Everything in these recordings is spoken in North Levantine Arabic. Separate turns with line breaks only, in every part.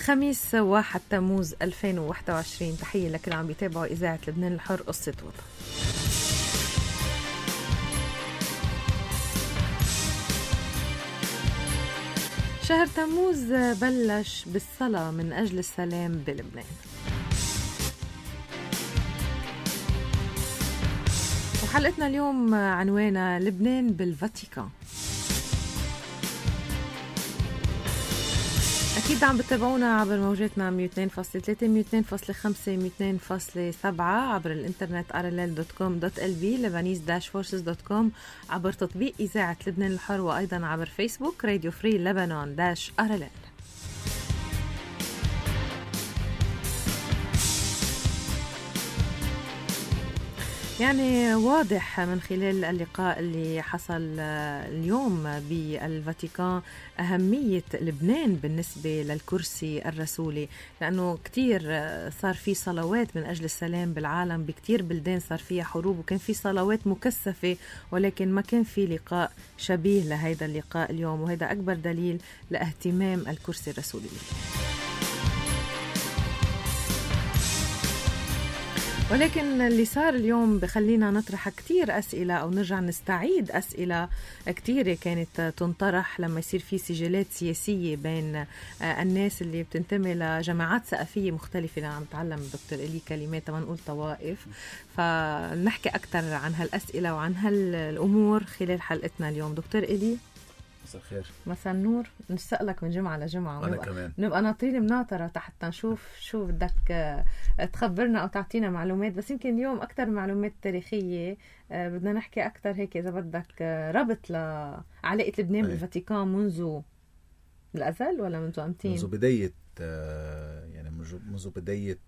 الخميس 1 تموز 2021. تحية لكل عم بيتابعوا إذاعة لبنان الحر قصة وطن. شهر تموز بلش بالصلاة من أجل السلام بلبنان، وحلقتنا اليوم عنوانها لبنان بالفاتيكان. أكيد عم بتابعونا عبر موجاتنا 102.3 102.5 102.7 عبر الانترنت rll.com.lb lebanese-forces.com عبر تطبيق إذاعة لبنان الحر، وأيضا عبر فيسبوك راديو فري لبنان-RLL. يعني واضح من خلال اللقاء اللي حصل اليوم بالفاتيكان أهمية لبنان بالنسبة للكرسي الرسولي، لأنه كتير صار في صلوات من أجل السلام بالعالم، بكتير بلدان صار فيها حروب وكان في صلوات مكثفة، ولكن ما كان في لقاء شبيه لهذا اللقاء اليوم، وهذا أكبر دليل لاهتمام الكرسي الرسولي. ولكن اللي صار اليوم بخلينا نطرح كتير أسئلة أو نرجع نستعيد أسئلة كتيرة كانت تنطرح لما يصير في سجلات سياسية بين الناس اللي بتنتمي لجماعات ثقافية مختلفة. أنا عم بتعلم دكتور إلي كلمات ما نقول طوائف، فنحكي أكتر عن هالأسئلة وعن هالأمور خلال حلقتنا اليوم. دكتور إلي
مساء الخير.
مساء النور. نسألك من جمعة لجمعة،
أنا كمان
نبقى ناطرين مناطرة حتى نشوف شو بدك تخبرنا أو تعطينا معلومات، بس يمكن اليوم أكتر معلومات تاريخية. بدنا نحكي أكتر هيك إذا بدك ربط لعلاقة لبنان بالفاتيكان منذ الأزل ولا منذ أمتين؟
منذ بداية يعني منذ بداية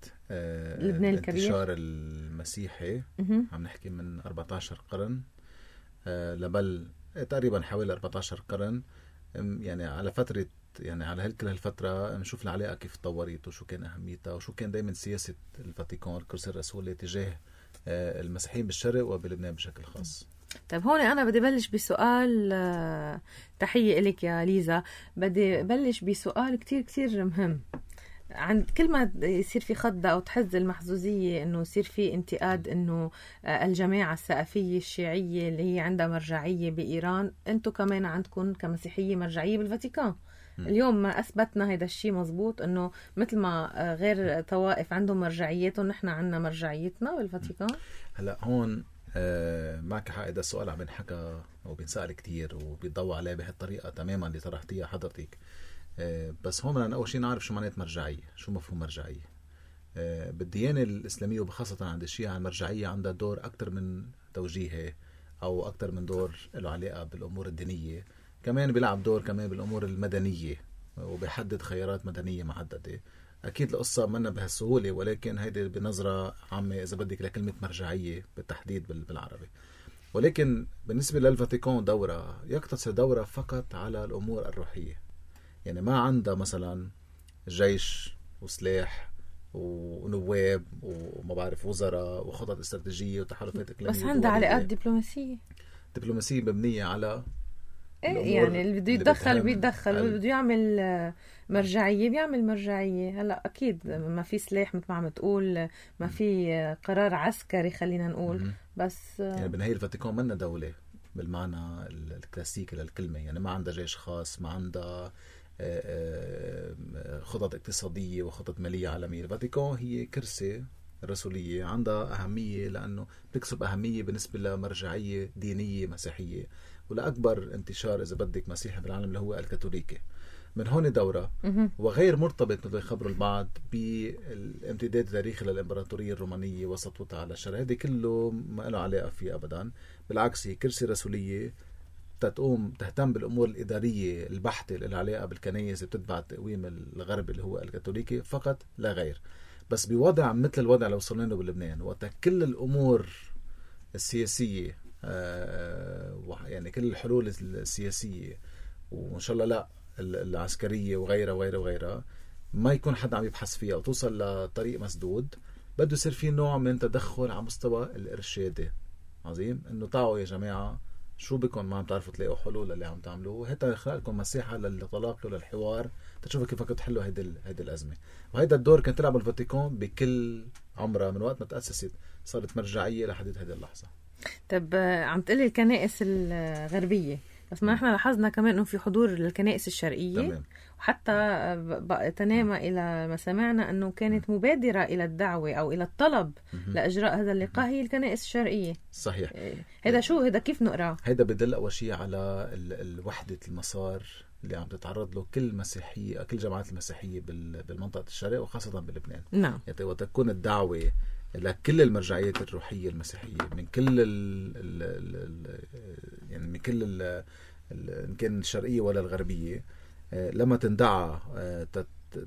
لبنان
الانتشار المسيحي. عم نحكي من 14 قرن لبل تقريبا حوالي 14 قرن، يعني على فترة، يعني على كل هالفترة نشوف العلاقة كيف تطورت وشو كان أهميتها وشو كان دايما سياسة الفاتيكان الكرسي الرسولي تجاه المسيحيين بالشرق وبلبنان بشكل خاص.
طيب هون أنا بدي بلش بسؤال. تحية إليك يا ليزا. بدي بلش بسؤال كتير كتير مهم. عند كل ما يصير في خضة أو تحز المحظوظية إنه يصير في انتقاد إنه الجماعة الثقافية الشيعية اللي هي عندها مرجعية بإيران، أنتو كمان عندكم كمسيحية مرجعية بالفاتيكان. اليوم ما أثبتنا هذا الشيء مزبوط، إنه مثل ما غير طوائف عندهم مرجعيتهم نحن عندنا مرجعيتنا بالفاتيكان.
هلأ هون معك حق، هذا السؤال عم بنحكى وبنسأل كتير وبيضوى عليه بهالطريقة تماما اللي طرحتيها حضرتك. بس هون بدنا أول شيء نعرف شو معنات مرجعية، شو مفهوم مرجعية. بالديانة الإسلامية وبخاصة عند الشيعة المرجعية عندها دور أكتر من توجيهي أو أكتر من دور له علاقة بالأمور الدينية، كمان بيلعب دور كمان بالأمور المدنية وبيحدد خيارات مدنية محددة. أكيد القصة منا بهالسهولة، ولكن هيدي بنظرة عامة إذا بدك لكلمة مرجعية بالتحديد بالعربي. ولكن بالنسبة للفاتيكان دورة يقتصر دورة فقط على الأمور الروحية، يعني ما عندها مثلا جيش وسلاح ونواب وما بعرف وزراء وخطط استراتيجية وتحالفات إقليمية،
بس عندها علاقات دبلوماسية
مبنية على
يعني اللي بده يتدخل بيتدخل، واللي بده يعمل مرجعية بيعمل مرجعية. هلا أكيد ما في سلاح مثل ما عم تقول، ما في قرار عسكري خلينا نقول، بس
يعني بالنهاية الفاتيكان منا دولة بالمعنى الكلاسيكي للكلمة، يعني ما عندها جيش خاص، ما عندها خطط اقتصادية وخطط مالية عالمية. الفاتيكان هي كرسي رسولية عندها أهمية لأنه بتكسب أهمية بالنسبة لمرجعية دينية مسيحية، ولأكبر انتشار إذا بدك مسيحي بالعالم اللي هو الكاثوليكي. من هون دورة وغير مرتبط مثل يخبروا البعض بالامتداد التاريخي للإمبراطورية الرومانية وسطوتها على الشرق، هذه كله ما له علاقة فيه أبدا. بالعكس هي كرسي رسولية تهتم بالأمور الإدارية البحتة اللي علاقة بالكنائس بتتبع تقويم الغرب اللي هو الكاثوليكي فقط لا غير. بس بوضع مثل الوضع اللي وصلنا له بلبنان، وقت كل الأمور السياسية يعني كل الحلول السياسية وإن شاء الله لا العسكرية وغيرها ما يكون حدا عم يبحث فيها وتوصل لطريق مسدود، بده يصير في نوع من تدخل على مستوى الإرشادي. عظيم إنه تعالوا يا جماعة شو بكم ما عم تعرفوا تلاقوا حلول اللي عم تعملوه، هيدا خلق لكم مساحة للتلاقي وللحوار تشوفوا كيف تحلوا هيدي الأزمة. وهيدا الدور كان تلعب الفاتيكان بكل عمرها من وقت ما تأسست، صارت مرجعية لحد هذه اللحظة.
طب عم تقلي الكنائس الغربية، بس ما احنا لاحظنا كمان انه في حضور للكنائس الشرقية.
تمام.
وحتى تنامى إلى ما سمعنا أنه كانت مبادرة إلى الدعوة أو إلى الطلب لإجراء هذا اللقاء هي الكنائس الشرقية.
صحيح.
هذا شو هذا كيف نقرأ؟
هذا بدل أول شيء على الوحدة المسار اللي عم تتعرض له كل مسيحية، كل جماعات المسيحية بالمنطقة الشرق وخاصة بلبنان.
نعم.
يعني وتكون الدعوة لكل المرجعيات الروحية المسيحية من كل يعني من كل إن كان الشرقية ولا الغربية، لما تندعى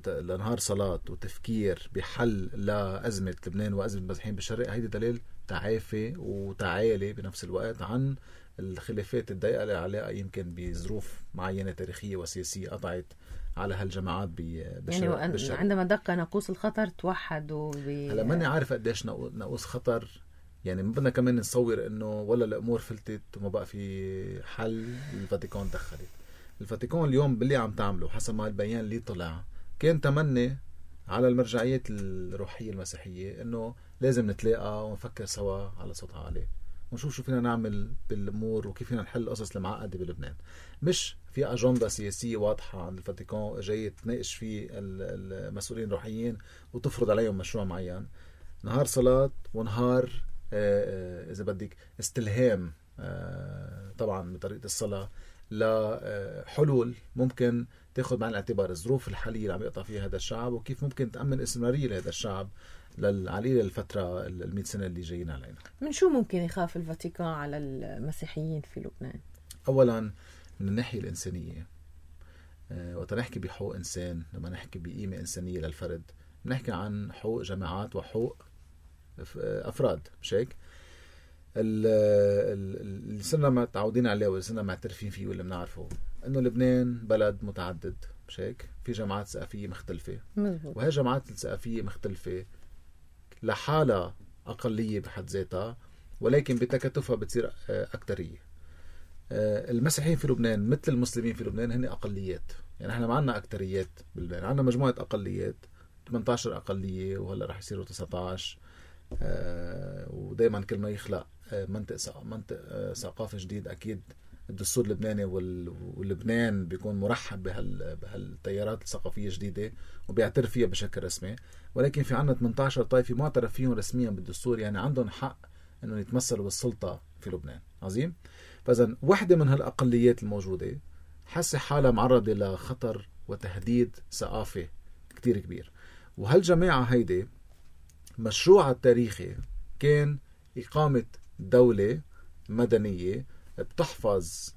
لنهار صلاة وتفكير بحل لأزمة لبنان وأزمة المسيحيين بالشرق، هيدي دليل تعافي وتعالي بنفس الوقت عن الخلافات الضيقة اللي عليها يمكن بظروف معينة تاريخية وسياسية قطعت على هالجماعات بالشرق.
يعني عندما دق ناقوس الخطر توحدوا
هلا ماني عارف قديش ناقوس خطر، يعني ما بدنا كمان نصور انه ولا الامور فلتت وما بقى في حل. الفاتيكان دخلت. الفاتيكان اليوم باللي عم تعمله حسب ما البيان اللي طلع كان تمني على المرجعيات الروحية المسيحية انه لازم نتلاقى ونفكر سوا على صوت عالي ونشوف شو فينا نعمل بالامور وكيف فينا نحل القصص المعقدة بلبنان. مش في اجندة سياسية واضحة عند الفاتيكان جاي تناقش فيه المسؤولين الروحيين وتفرض عليهم مشروع معين. نهار صلاة ونهار إذا بدك استلهام طبعا بطريقة الصلاة لحلول ممكن تاخذ بعين الاعتبار الظروف الحالية اللي عم يقطع فيها هذا الشعب وكيف ممكن تأمن استمرارية لهذا الشعب عليه للفترة 100 سنة اللي جايين علينا.
من شو ممكن يخاف الفاتيكان على المسيحيين في لبنان؟
أولا من الناحية الإنسانية، وتنحكي بحقوق إنسان، لما نحكي بقيمة إنسانية للفرد نحكي عن حقوق جماعات وحقوق أفراد. مش هيك؟ اللي صرنا متعودين عليه واللي صرنا معترفين فيه واللي بنعرفه انه لبنان بلد متعدد. مش هيك؟ في جماعات ثقافية مختلفة.
مزبوط.
وهي جماعات الثقافية مختلفة لحالها أقلية بحد ذاتها، ولكن بتكاتفها بتصير أكترية. المسيحيين في لبنان مثل المسلمين في لبنان هن أقليات. يعني احنا ما عندنا أكتريات بلبنان، عندنا مجموعة أقليات 18 أقلية وهلا رح يصيروا 19. ودايما كل ما يخلق منطق ثقافي جديد أكيد الدستور اللبناني واللبنان بيكون مرحب بهالتيارات الثقافية الجديدة وبيعترف فيها بشكل رسمي. ولكن في عنا 18 طائفة معترف فيهم رسميا بالدستور، يعني عندهم حق انه يتمثلوا بالسلطة في لبنان. عظيم. فإذا واحدة من هالأقليات الموجودة حاسة حالها معرضة لخطر وتهديد ثقافي كتير كبير. وهالجماعة هيدي مشروعها التاريخي كان إقامة دولة مدنية بتحفظ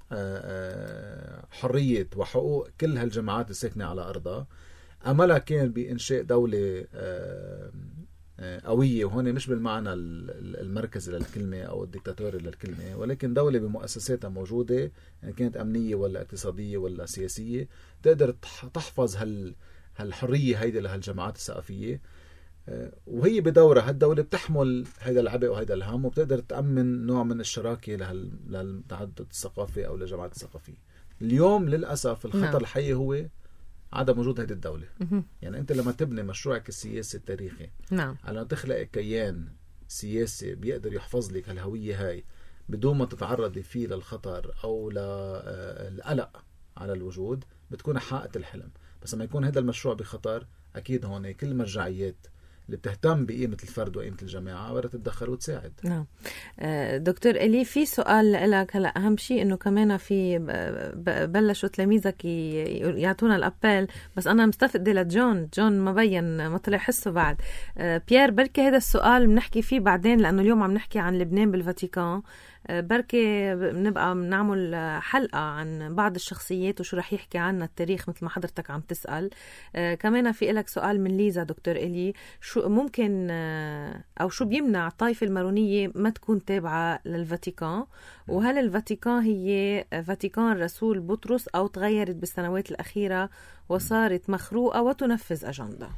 حرية وحقوق كل هالجماعات الساكنة على أرضها. أملها كان بإنشاء دولة قوية، وهون مش بالمعنى المركزي للكلمة أو الديكتاتوري للكلمة، ولكن دولة بمؤسساتها موجودة، يعني كانت أمنية ولا اقتصادية ولا سياسية، تقدر تحفظ هالحرية هيدي لهالجماعات الثقافية. وهي بدورها هالدولة بتحمل هيدا العبء وهيدا الهم وبتقدر تأمن نوع من الشراكة للتعدد الثقافي أو للجماعات الثقافية. اليوم للأسف الخطر الحقيقي هو عدم وجود هيدي الدولة. يعني أنت لما تبني مشروعك السياسي التاريخي على أن تخلق كيان سياسي بيقدر يحفظ لك الهوية هاي بدون ما تتعرضي فيه للخطر أو للقلق على الوجود، بتكون حققت الحلم. بس لما يكون هذا المشروع بخطر أكيد هون كل المرجعيات اللي بتهتم بقيمة الفرد وقيمة الجماعة بدها تتدخل وتساعد.
نعم. دكتور إلي، في سؤال لك هلا. أهم شيء إنه كمان في بلشوا تلاميذك يعطونا الأبل، بس أنا مستفدة لجون ما بين ما طلع حسه بعد. بيير، بركي هذا السؤال بنحكي فيه بعدين لأنه اليوم عم نحكي عن لبنان بالفاتيكان. بركي بنبقى بنعمل حلقة عن بعض الشخصيات وشو رح يحكي عنها التاريخ مثل ما حضرتك عم تسأل. كمان في لك سؤال من ليزا. دكتور إلي، شو ممكن أو شو بيمنع الطائفة المارونية ما تكون تابعة للفاتيكان؟ وهل الفاتيكان هي فاتيكان رسول بطرس أو تغيرت بالسنوات الأخيرة وصارت مخروقة وتنفذ أجندة؟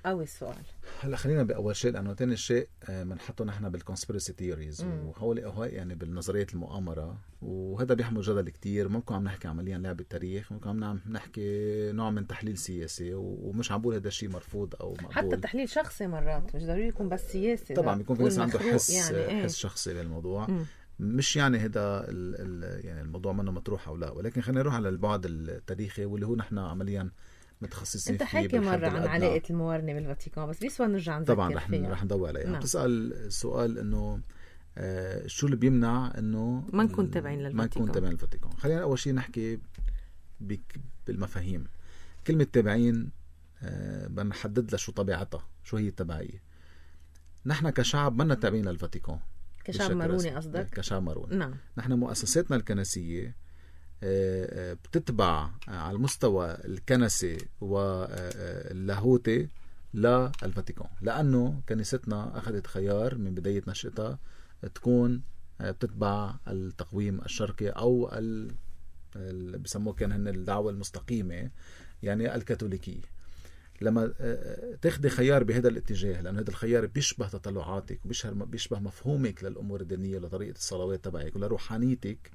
قوي السؤال.
هلا خلينا بأول شيء، لأنه تاني شيء بنحطه نحن بالكونسبيرسي ثيوريز، وهول يعني بالنظرية المؤامرة، وهذا بيحمل جدل كتير. ممكن عم نحكي عمليا لعبة تاريخ، ممكن عم نحكي نوع من تحليل سياسي، ومش عم بقول هذا الشيء مرفوض أو مقبول.
حتى تحليل شخصي مرات مش ضروري يكون بس سياسي،
طبعا بيكون في ناس عنده حس
يعني
حس شخصي بالموضوع. مش يعني هذا يعني الموضوع منه مطروح أو لا، ولكن خلينا نروح على البعد التاريخي واللي هو نحن عمليا متخصصين
انت
فيه.
انت حكي مرة عن علاقة الموارنة بالفاتيكان، بس بيسوى نرجع نذكر
طبعا رح ندور عليها. نعم. بتسأل السؤال انه شو اللي بيمنع انه
ما نكون تابعين
للفاتيكان. خلينا اول شيء نحكي بالمفاهيم. كلمة تابعين بنحدد لها شو طبيعتها، شو هي التبعية. نحن كشعب منا تابعين للفاتيكان،
كشعب ماروني قصدك؟
كشعب ماروني.
نعم.
نحن مؤسساتنا الكنسية بتتبع على المستوى الكنسي واللاهوتي للفاتيكان، لأنه كنيستنا أخذت خيار من بداية نشأتها تكون بتتبع التقويم الشرقي أو بيسموه كان هن الدعوة المستقيمة، يعني الكاثوليكية. لما تاخدي خيار بهذا الاتجاه، لأن هذا الخيار بيشبه تطلعاتك وبيشبه مفهومك للأمور الدينية، لطريقة الصلوات تبعك ولروحانيتك،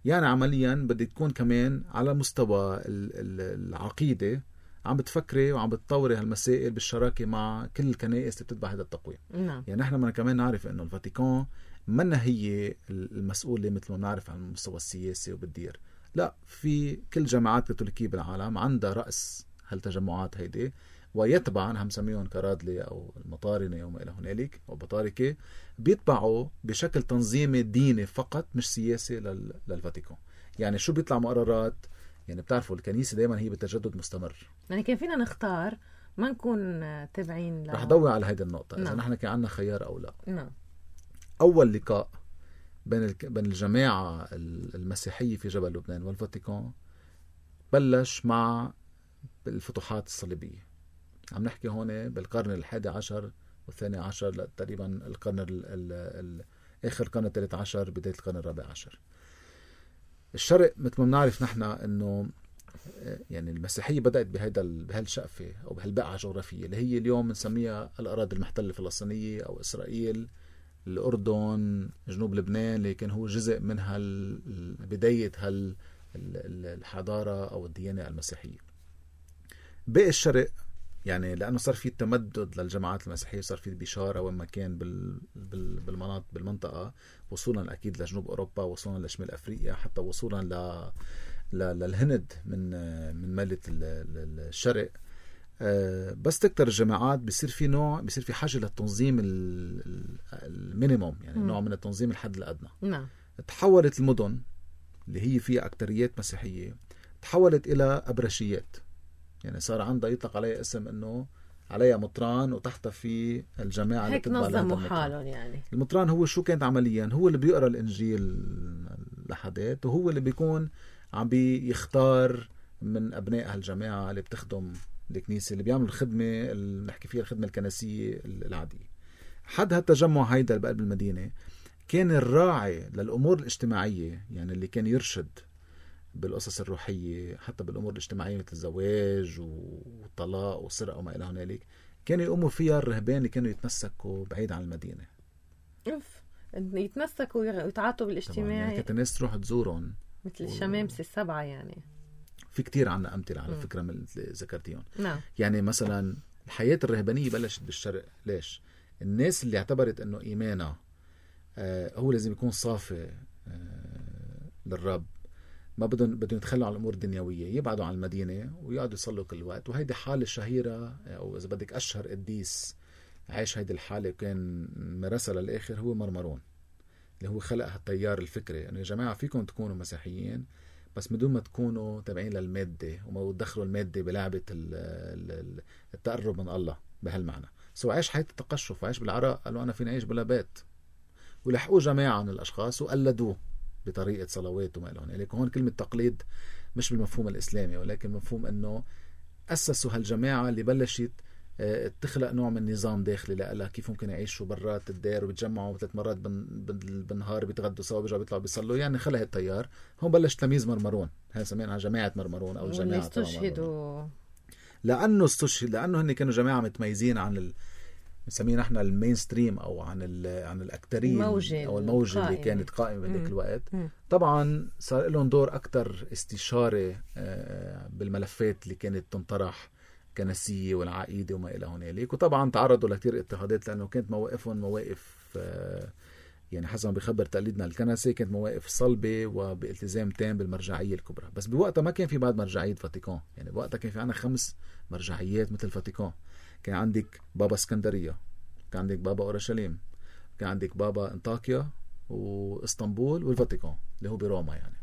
يعني عمليا بدك تكون كمان على مستوى العقيدة عم بتفكري وعم بتطوري هالمسائل بالشراكة مع كل الكنائس اللي بتتبع هذا التقويم.
نعم.
يعني نحن كمان نعرف انه الفاتيكان منا هي المسؤولة مثل ما نعرف عن المستوى السياسي وبالدير، لا، في كل جماعات كاثوليكية بالعالم عندها رأس هالتجمعات هيدي، ويتبع عنها مسميهم كرادلي أو المطارنة وما إلى هنالك أو بطاركة، بيتبعوا بشكل تنظيمي ديني فقط مش سياسي للفاتيكان. يعني شو بيطلع مقررات، يعني بتعرفوا الكنيسة دايما هي بالتجدد مستمر،
يعني كيف فينا نختار ما نكون تابعين
رح ضوي على هيدا النقطة.
نعم.
إذا نحن كان عنا خيار أو لا.
نعم.
أول لقاء بين الجماعة المسيحية في جبل لبنان والفاتيكان بلش مع الفتوحات الصليبية. عم نحكي هون بالقرن 11 والثاني عشر، تقريبا القرن آخر القرن 13 بداية القرن 14. الشرق مثل ما بنعرف نحن انه يعني المسيحية بدأت بهالشقفة او بهالبقعة الجغرافية اللي هي اليوم بنسميها الأراضي المحتلة الفلسطينية او إسرائيل، الأردن، جنوب لبنان، اللي كان هو جزء من بداية الحضارة او الديانة المسيحية. باقي الشرق يعني لأنه صار في تمدد للجماعات المسيحية، صار في بشارة وين ما كان بالمنطقة، وصولا أكيد لجنوب أوروبا، وصولا لشمال أفريقيا، حتى وصولا للهند من مالة الشرق. بس تكتر الجماعات بيصير في حاجة للتنظيم المينيموم، يعني نوع من التنظيم الحد الأدنى.
نعم.
تحولت المدن اللي هي فيها أكتريات مسيحية تحولت إلى أبرشيات، يعني صار عندها يطلق عليها اسم انه عليها مطران وتحتها في الجماعة اللي
تتبع نظموا حالهم. يعني
المطران هو شو كانت عمليا؟ هو اللي بيقرأ الإنجيل لحدات، وهو اللي بيكون عم بيختار من أبناء هالجماعة اللي بتخدم الكنيسة، اللي بيعمل الخدمة اللي نحكي فيها الخدمة الكنسية العادية. حد هالتجمع هيدا بقلب المدينة كان الراعي للأمور الاجتماعية، يعني اللي كان يرشد بالقصص الروحية، حتى بالأمور الاجتماعية مثل الزواج والطلاق والسرقة وما إلى هنالك، كانوا يقوموا فيها الرهبان اللي كانوا يتمسكوا بعيد عن المدينة.
يتمسكوا ويتعاطوا بالاجتماعي،
يعني كانت الناس تروح تزورهم
مثل الشمامسة السبعة. يعني
في كتير عنا أمثلة على فكرة من اللي ذكرتيهم.
نعم.
يعني مثلا الحياة الرهبانية بلشت بالشرق. ليش؟ الناس اللي اعتبرت أنه إيمانها هو لازم يكون صافي للرب، ما بدهم يتخلوا عن الأمور الدنيوية، يبعدوا عن المدينة ويقعدوا يصلوا كل وقت. وهيدي حالة شهيرة، أو إذا بدك أشهر قديس عايش هيدي الحالة وكان مرسى للآخر هو مرمرون، اللي هو خلق هالتيار الفكري يعني يا جماعة فيكم تكونوا مسيحيين بس بدون ما تكونوا تابعين للمادة وما تدخلوا المادة بلعبة التقرب من الله بهالمعنى. سو عايش حياة التقشف وعايش بالعراء، قالوا أنا فيني أعيش بلا بيت، ولحقوا جماعة من الأشخاص وقلدوه بطريقة صلوات وما إلى هنالك. هون كلمة تقليد مش بالمفهوم الإسلامي، ولكن مفهوم أنه أسسوا هالجماعة اللي بلشت تخلق نوع من نظام داخلي لها كيف ممكن يعيشوا برات الدار وبتجمعوا 3 مرات بالنهار، بيتغدوا سوا بيرجعوا بيطلعوا بيصلوا. يعني خلق التيار. هون بلش تلاميذ مرمرون، هاي سميناها جماعة مرمرون أو جماعة
استشهدوا.
لانه لانه هن كانوا جماعه متميزين عن بنسميه نحن المين ستريم او عن الاكتريه او الموجه اللي كانت قائمه بهذاك الوقت. طبعا صار لهم دور اكثر استشاري بالملفات اللي كانت تنطرح كنسيه والعقيده وما الى هنالك. وطبعا تعرضوا لكثير اضطهادات لانه كانت مواقفهم مواقف يعني حسب ما بيخبر تقليدنا الكنسي كانت مواقف صلبه وبالتزام تام بالمرجعيه الكبرى. بس بوقتها ما كان في بعد مرجعيه فاتيكان، يعني بوقتها كان في عنا 5 مرجعيات مثل فاتيكان. كان عندك بابا اسكندريه، كان عندك بابا اورشليم، كان عندك بابا انطاكيا واسطنبول والفاتيكان اللي هو بروما. يعني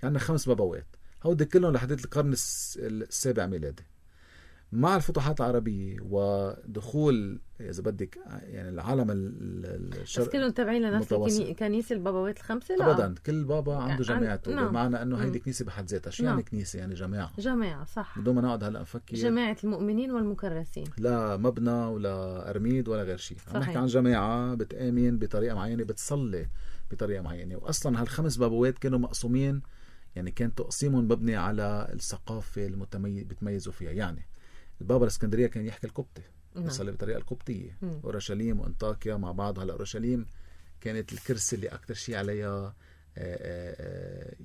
كان عندنا 5 بابوات، هودي كلهم لحد القرن السابع ميلادي. مع الفتوحات العربية ودخول إذا بدك يعني العالم الشرق،
بس كلهم تابعين لنفس كنيسة البابوات ال5؟ لا
أبدا، كل بابا عنده جماعته. بمعنى أنه هيدي كنيسة بحد ذاتها. شو يعني كنيسة؟ يعني جماعة
صح،
بدون ما نقعد هلا نفكر
جماعة المؤمنين والمكرسين،
لا مبنى ولا أرميد ولا غير شيء. عم نحكي عن جماعة بتآمن بطريقة معينة، بتصلي بطريقة معينة. وأصلا هال5 بابوات كانوا مقسومين، يعني كان تقسيمهم مبني على الثقافة بتميزوا فيها. يعني البابا الاسكندريه كان يحكي القبطي، يصلي بالطريقه القبطيه. اورشليم وانطاكيا مع بعض. هلا اورشليم كانت الكرسي اللي اكثر شيء عليها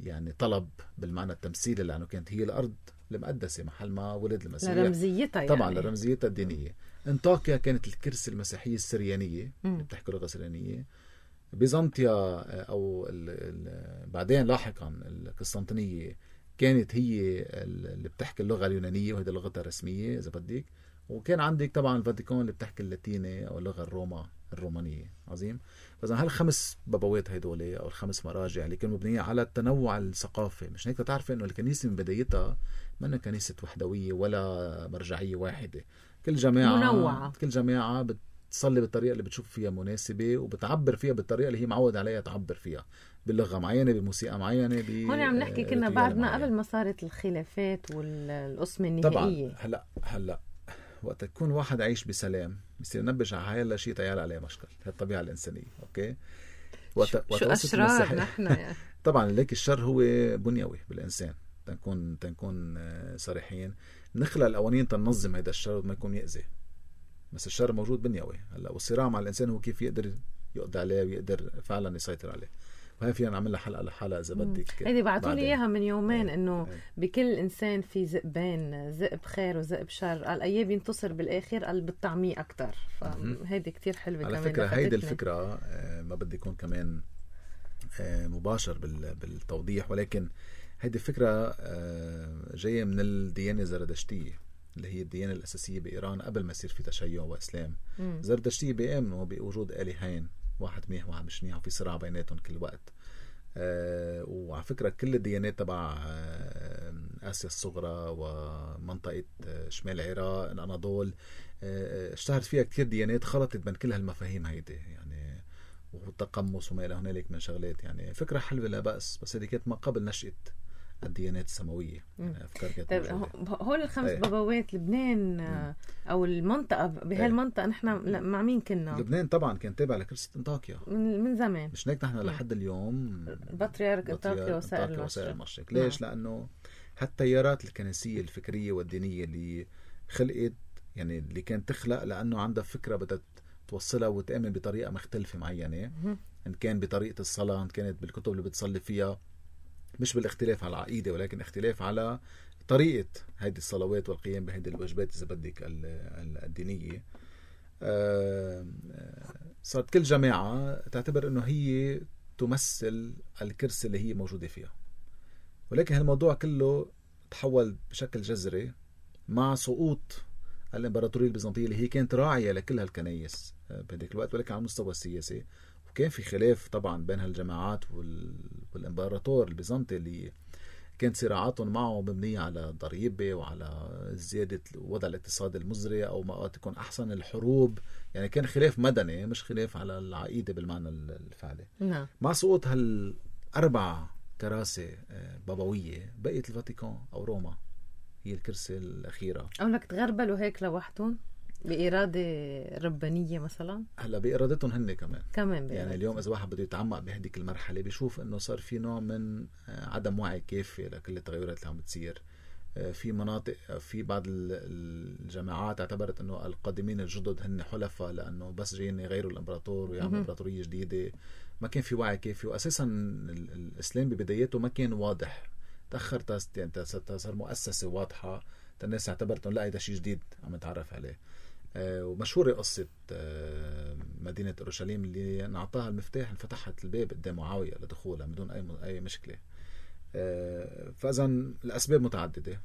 يعني طلب بالمعنى التمثيلي، لانه كانت هي الارض المقدسه محل ما ولد المسيح،
لرمزيتها
طبعا
يعني.
لرمزيتها الدينيه. انطاكيا كانت الكرسي المسيحيه السريانيه اللي بتحكي لغه سريانيه. بيزنطيا او بعدين لاحقا القسطنطينيه كانت هي اللي بتحكي اللغة اليونانية وهذه لغتها الرسمية إذا بدك. وكان عندك طبعا الفاتيكان اللي بتحكي اللاتيني أو اللغة الرومانية. عظيم. فإذا هال5 بابوات هيدول أو ال5 مراجع اللي كانوا مبنية على التنوع الثقافي. مش هيك تعرف إنه الكنيسة من بدايتها ما كنيسة وحدوية ولا مرجعية واحدة. كل جماعة
منوعة،
كل جماعة بتصلي بالطريقة اللي بتشوف فيها مناسبة وبتعبر فيها بالطريقة اللي هي معود عليها تعبر فيها، باللغة معينة، بموسيقى معينة.
هون عم نحكي كنا بعدنا قبل ما صارت الخلافات والقسمة النهائية.
طبعا هلا وقت يكون واحد عايش بسلام بصير ينبش على هاي شيء تيال عليه مشكل. هي الطبيعة الإنسانية. أوكي،
شو أشرار نحن يعني.
طبعا ليك الشر هو بنيوي بالإنسان. تنكون صريحين. نخلق القوانين تنظم هذا الشر وما يكون يأذي، بس الشر موجود بنيوي. هلا والصراع مع الإنسان هو كيف يقدر يقضي عليه ويقدر فعلا يسيطر عليه. وهي فينا نعمل لها حلقة لحالها إذا بدك.
هيدي بعتوا لي إياها من يومين إنه بكل إنسان في ذئبين، ذئب خير وذئب شر. قال أيه بينتصر بالآخر، قال بالطعمية أكتر. فهيدي كتير حلوة
على
كمان.
فكرة هيدي الفكرة ما بدي يكون كمان مباشر بالتوضيح، ولكن هيدي الفكرة جاية من الديانة الزردشتية اللي هي الديانة الأساسية بإيران قبل ما يصير في تشيع وإسلام. زردشتية بيؤمنوا بوجود آلهين، واحد منيح وواحد مش منيح، وفي صراع بيناتهم كل وقت. وعلى فكرة كل الديانات تبع آسيا الصغرى ومنطقة شمال العراق الأناضول اشتهرت فيها كتير ديانات خلطت بين كل هالمفاهيم هيدي يعني، والتقمص وما إلى هنالك من شغلات. يعني فكرة حلوة لا بأس، بس هذه كانت ما قبل نشأة الديانات السماوية. يعني أفكار كانت
طيب هول ال5 بابوات لبنان أو المنطقة بهالمنطقة نحن مع مين كنا؟
لبنان طبعا كان تابع لكنيسة انطاكيا
من زمان.
مش هيك نحن لحد اليوم
البطريرك انطاكيا وسائر
المشرق. ليش؟ لأنه هالتيارات الكنسية الفكرية والدينية اللي خلقت، يعني اللي كانت تخلق لأنه عندها فكرة بدها توصلها وتأمن بطريقة مختلفة معينة، إن كان بطريقة الصلاة، إن كانت بالكتب اللي بتصلي فيها، مش بالاختلاف على العقيدة ولكن اختلاف على طريقة هيدي الصلوات والقيام بهيدي الواجبات إذا بدك الدينية. صارت كل جماعة تعتبر أنه هي تمثل الكرسي اللي هي موجودة فيها، ولكن هالموضوع كله تحول بشكل جذري مع سقوط الإمبراطورية البيزنطية اللي هي كانت راعية لكل هالكنايس بهديك الوقت، ولكن على المستوى السياسي. وكان في خلاف طبعا بين هالجماعات والإمبراطور البيزنطي اللي كانت صراعاتهم معه مبنية على ضريبة وعلى زيادة الوضع الاقتصادي المزري أو ما تكون أحسن الحروب. يعني كان خلاف مدني مش خلاف على العقيدة بالمعنى الفعلي.
نعم.
مع سقوط هال4 كراسي بابوية بقيت الفاتيكان أو روما هي الكرسي الأخيرة.
أو لك تغربلوا هيك لوحدهم بإرادة ربانية مثلا؟
هلا بإرادتهم هن كمان
يعني
اليوم إذا واحد بده يتعمق بهديك المرحلة بيشوف إنه صار في نوع من عدم وعي كافي لكل التغيرات اللي عم بتصير في مناطق، في بعض الجماعات اعتبرت انه القادمين الجدد هن حلفاء لانه بس جايين يغيروا الامبراطور ويعملوا امبراطوريه جديده. ما كان في وعي كافي، واساسا الاسلام ببداياته ما كان واضح، تاخر يعني صار مؤسسه واضحه، الناس اعتبرت انه لا هذا شيء جديد عم نتعرف عليه. ومشهوره قصه مدينه اورشليم اللي نعطاها المفتاح انفتحت الباب قدام معاويه لدخولها بدون اي مشكله. فاذا الاسباب متعدده،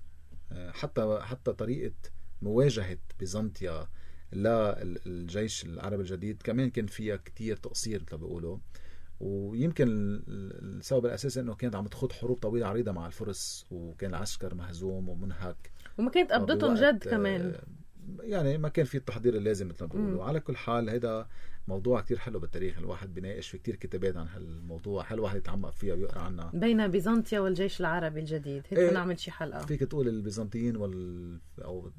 حتى طريقه مواجهه بيزنطيا للجيش العربي الجديد كمان كان فيها كتير تقصير مثل ما بيقولوا. ويمكن السبب الاساسي انه كانت عم تخوض حروب طويله عريضه مع الفرس، وكان العسكر مهزوم ومنهك،
وما كانت قبضتهم جد كمان،
يعني ما كان في التحضير اللازم مثل ما بيقولوا. على كل حال هذا موضوع كتير حلو بالتاريخ، الواحد بيناقش في كتير كتابات عن هالموضوع، حلو واحد يتعمق فيها ويقرأ عنها،
بين بيزنطيا والجيش العربي الجديد. هيك نعمل شي حلقة.
فيك تقول البيزنطيين أو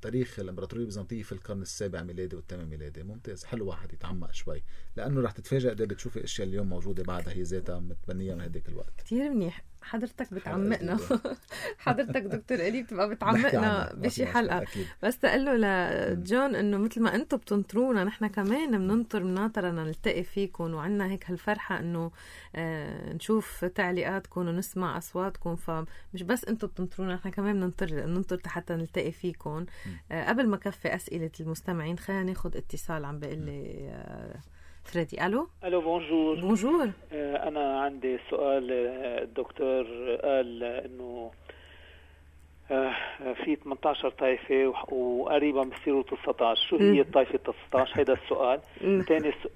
تاريخ الإمبراطورية البيزنطية في القرن السابع ميلادي والثامن ميلادي. ممتاز، حلو واحد يتعمق شوي، لأنه رح تتفاجأ قد بتشوفي أشياء اليوم موجودة بعدها هي ذاتها متبنية من هذيك الوقت.
كتير منيح، حضرتك بتعمقنا. حضرتك دكتور إلي بتبقى بتعمقنا بشي حلقة. بس تقول له لجون انه مثل ما انتم بتنطرونا نحن كمان بننطر مناطرنا نلتقي فيكم، وعنا هيك هالفرحة انه نشوف تعليقاتكم ونسمع اصواتكم. فمش بس انتم بتنطرونا، نحن كمان بننطر حتى نلتقي فيكم. قبل ما كفي اسئلة المستمعين خلينا ناخد اتصال. عم بقول لي فريدي. الو
بونجور.
بونجور.
انا عندي سؤال. الدكتور قال انه في 18 طائفة وقريبا بصيروا 19. شو هي الطائفة 19؟ هذا السؤال.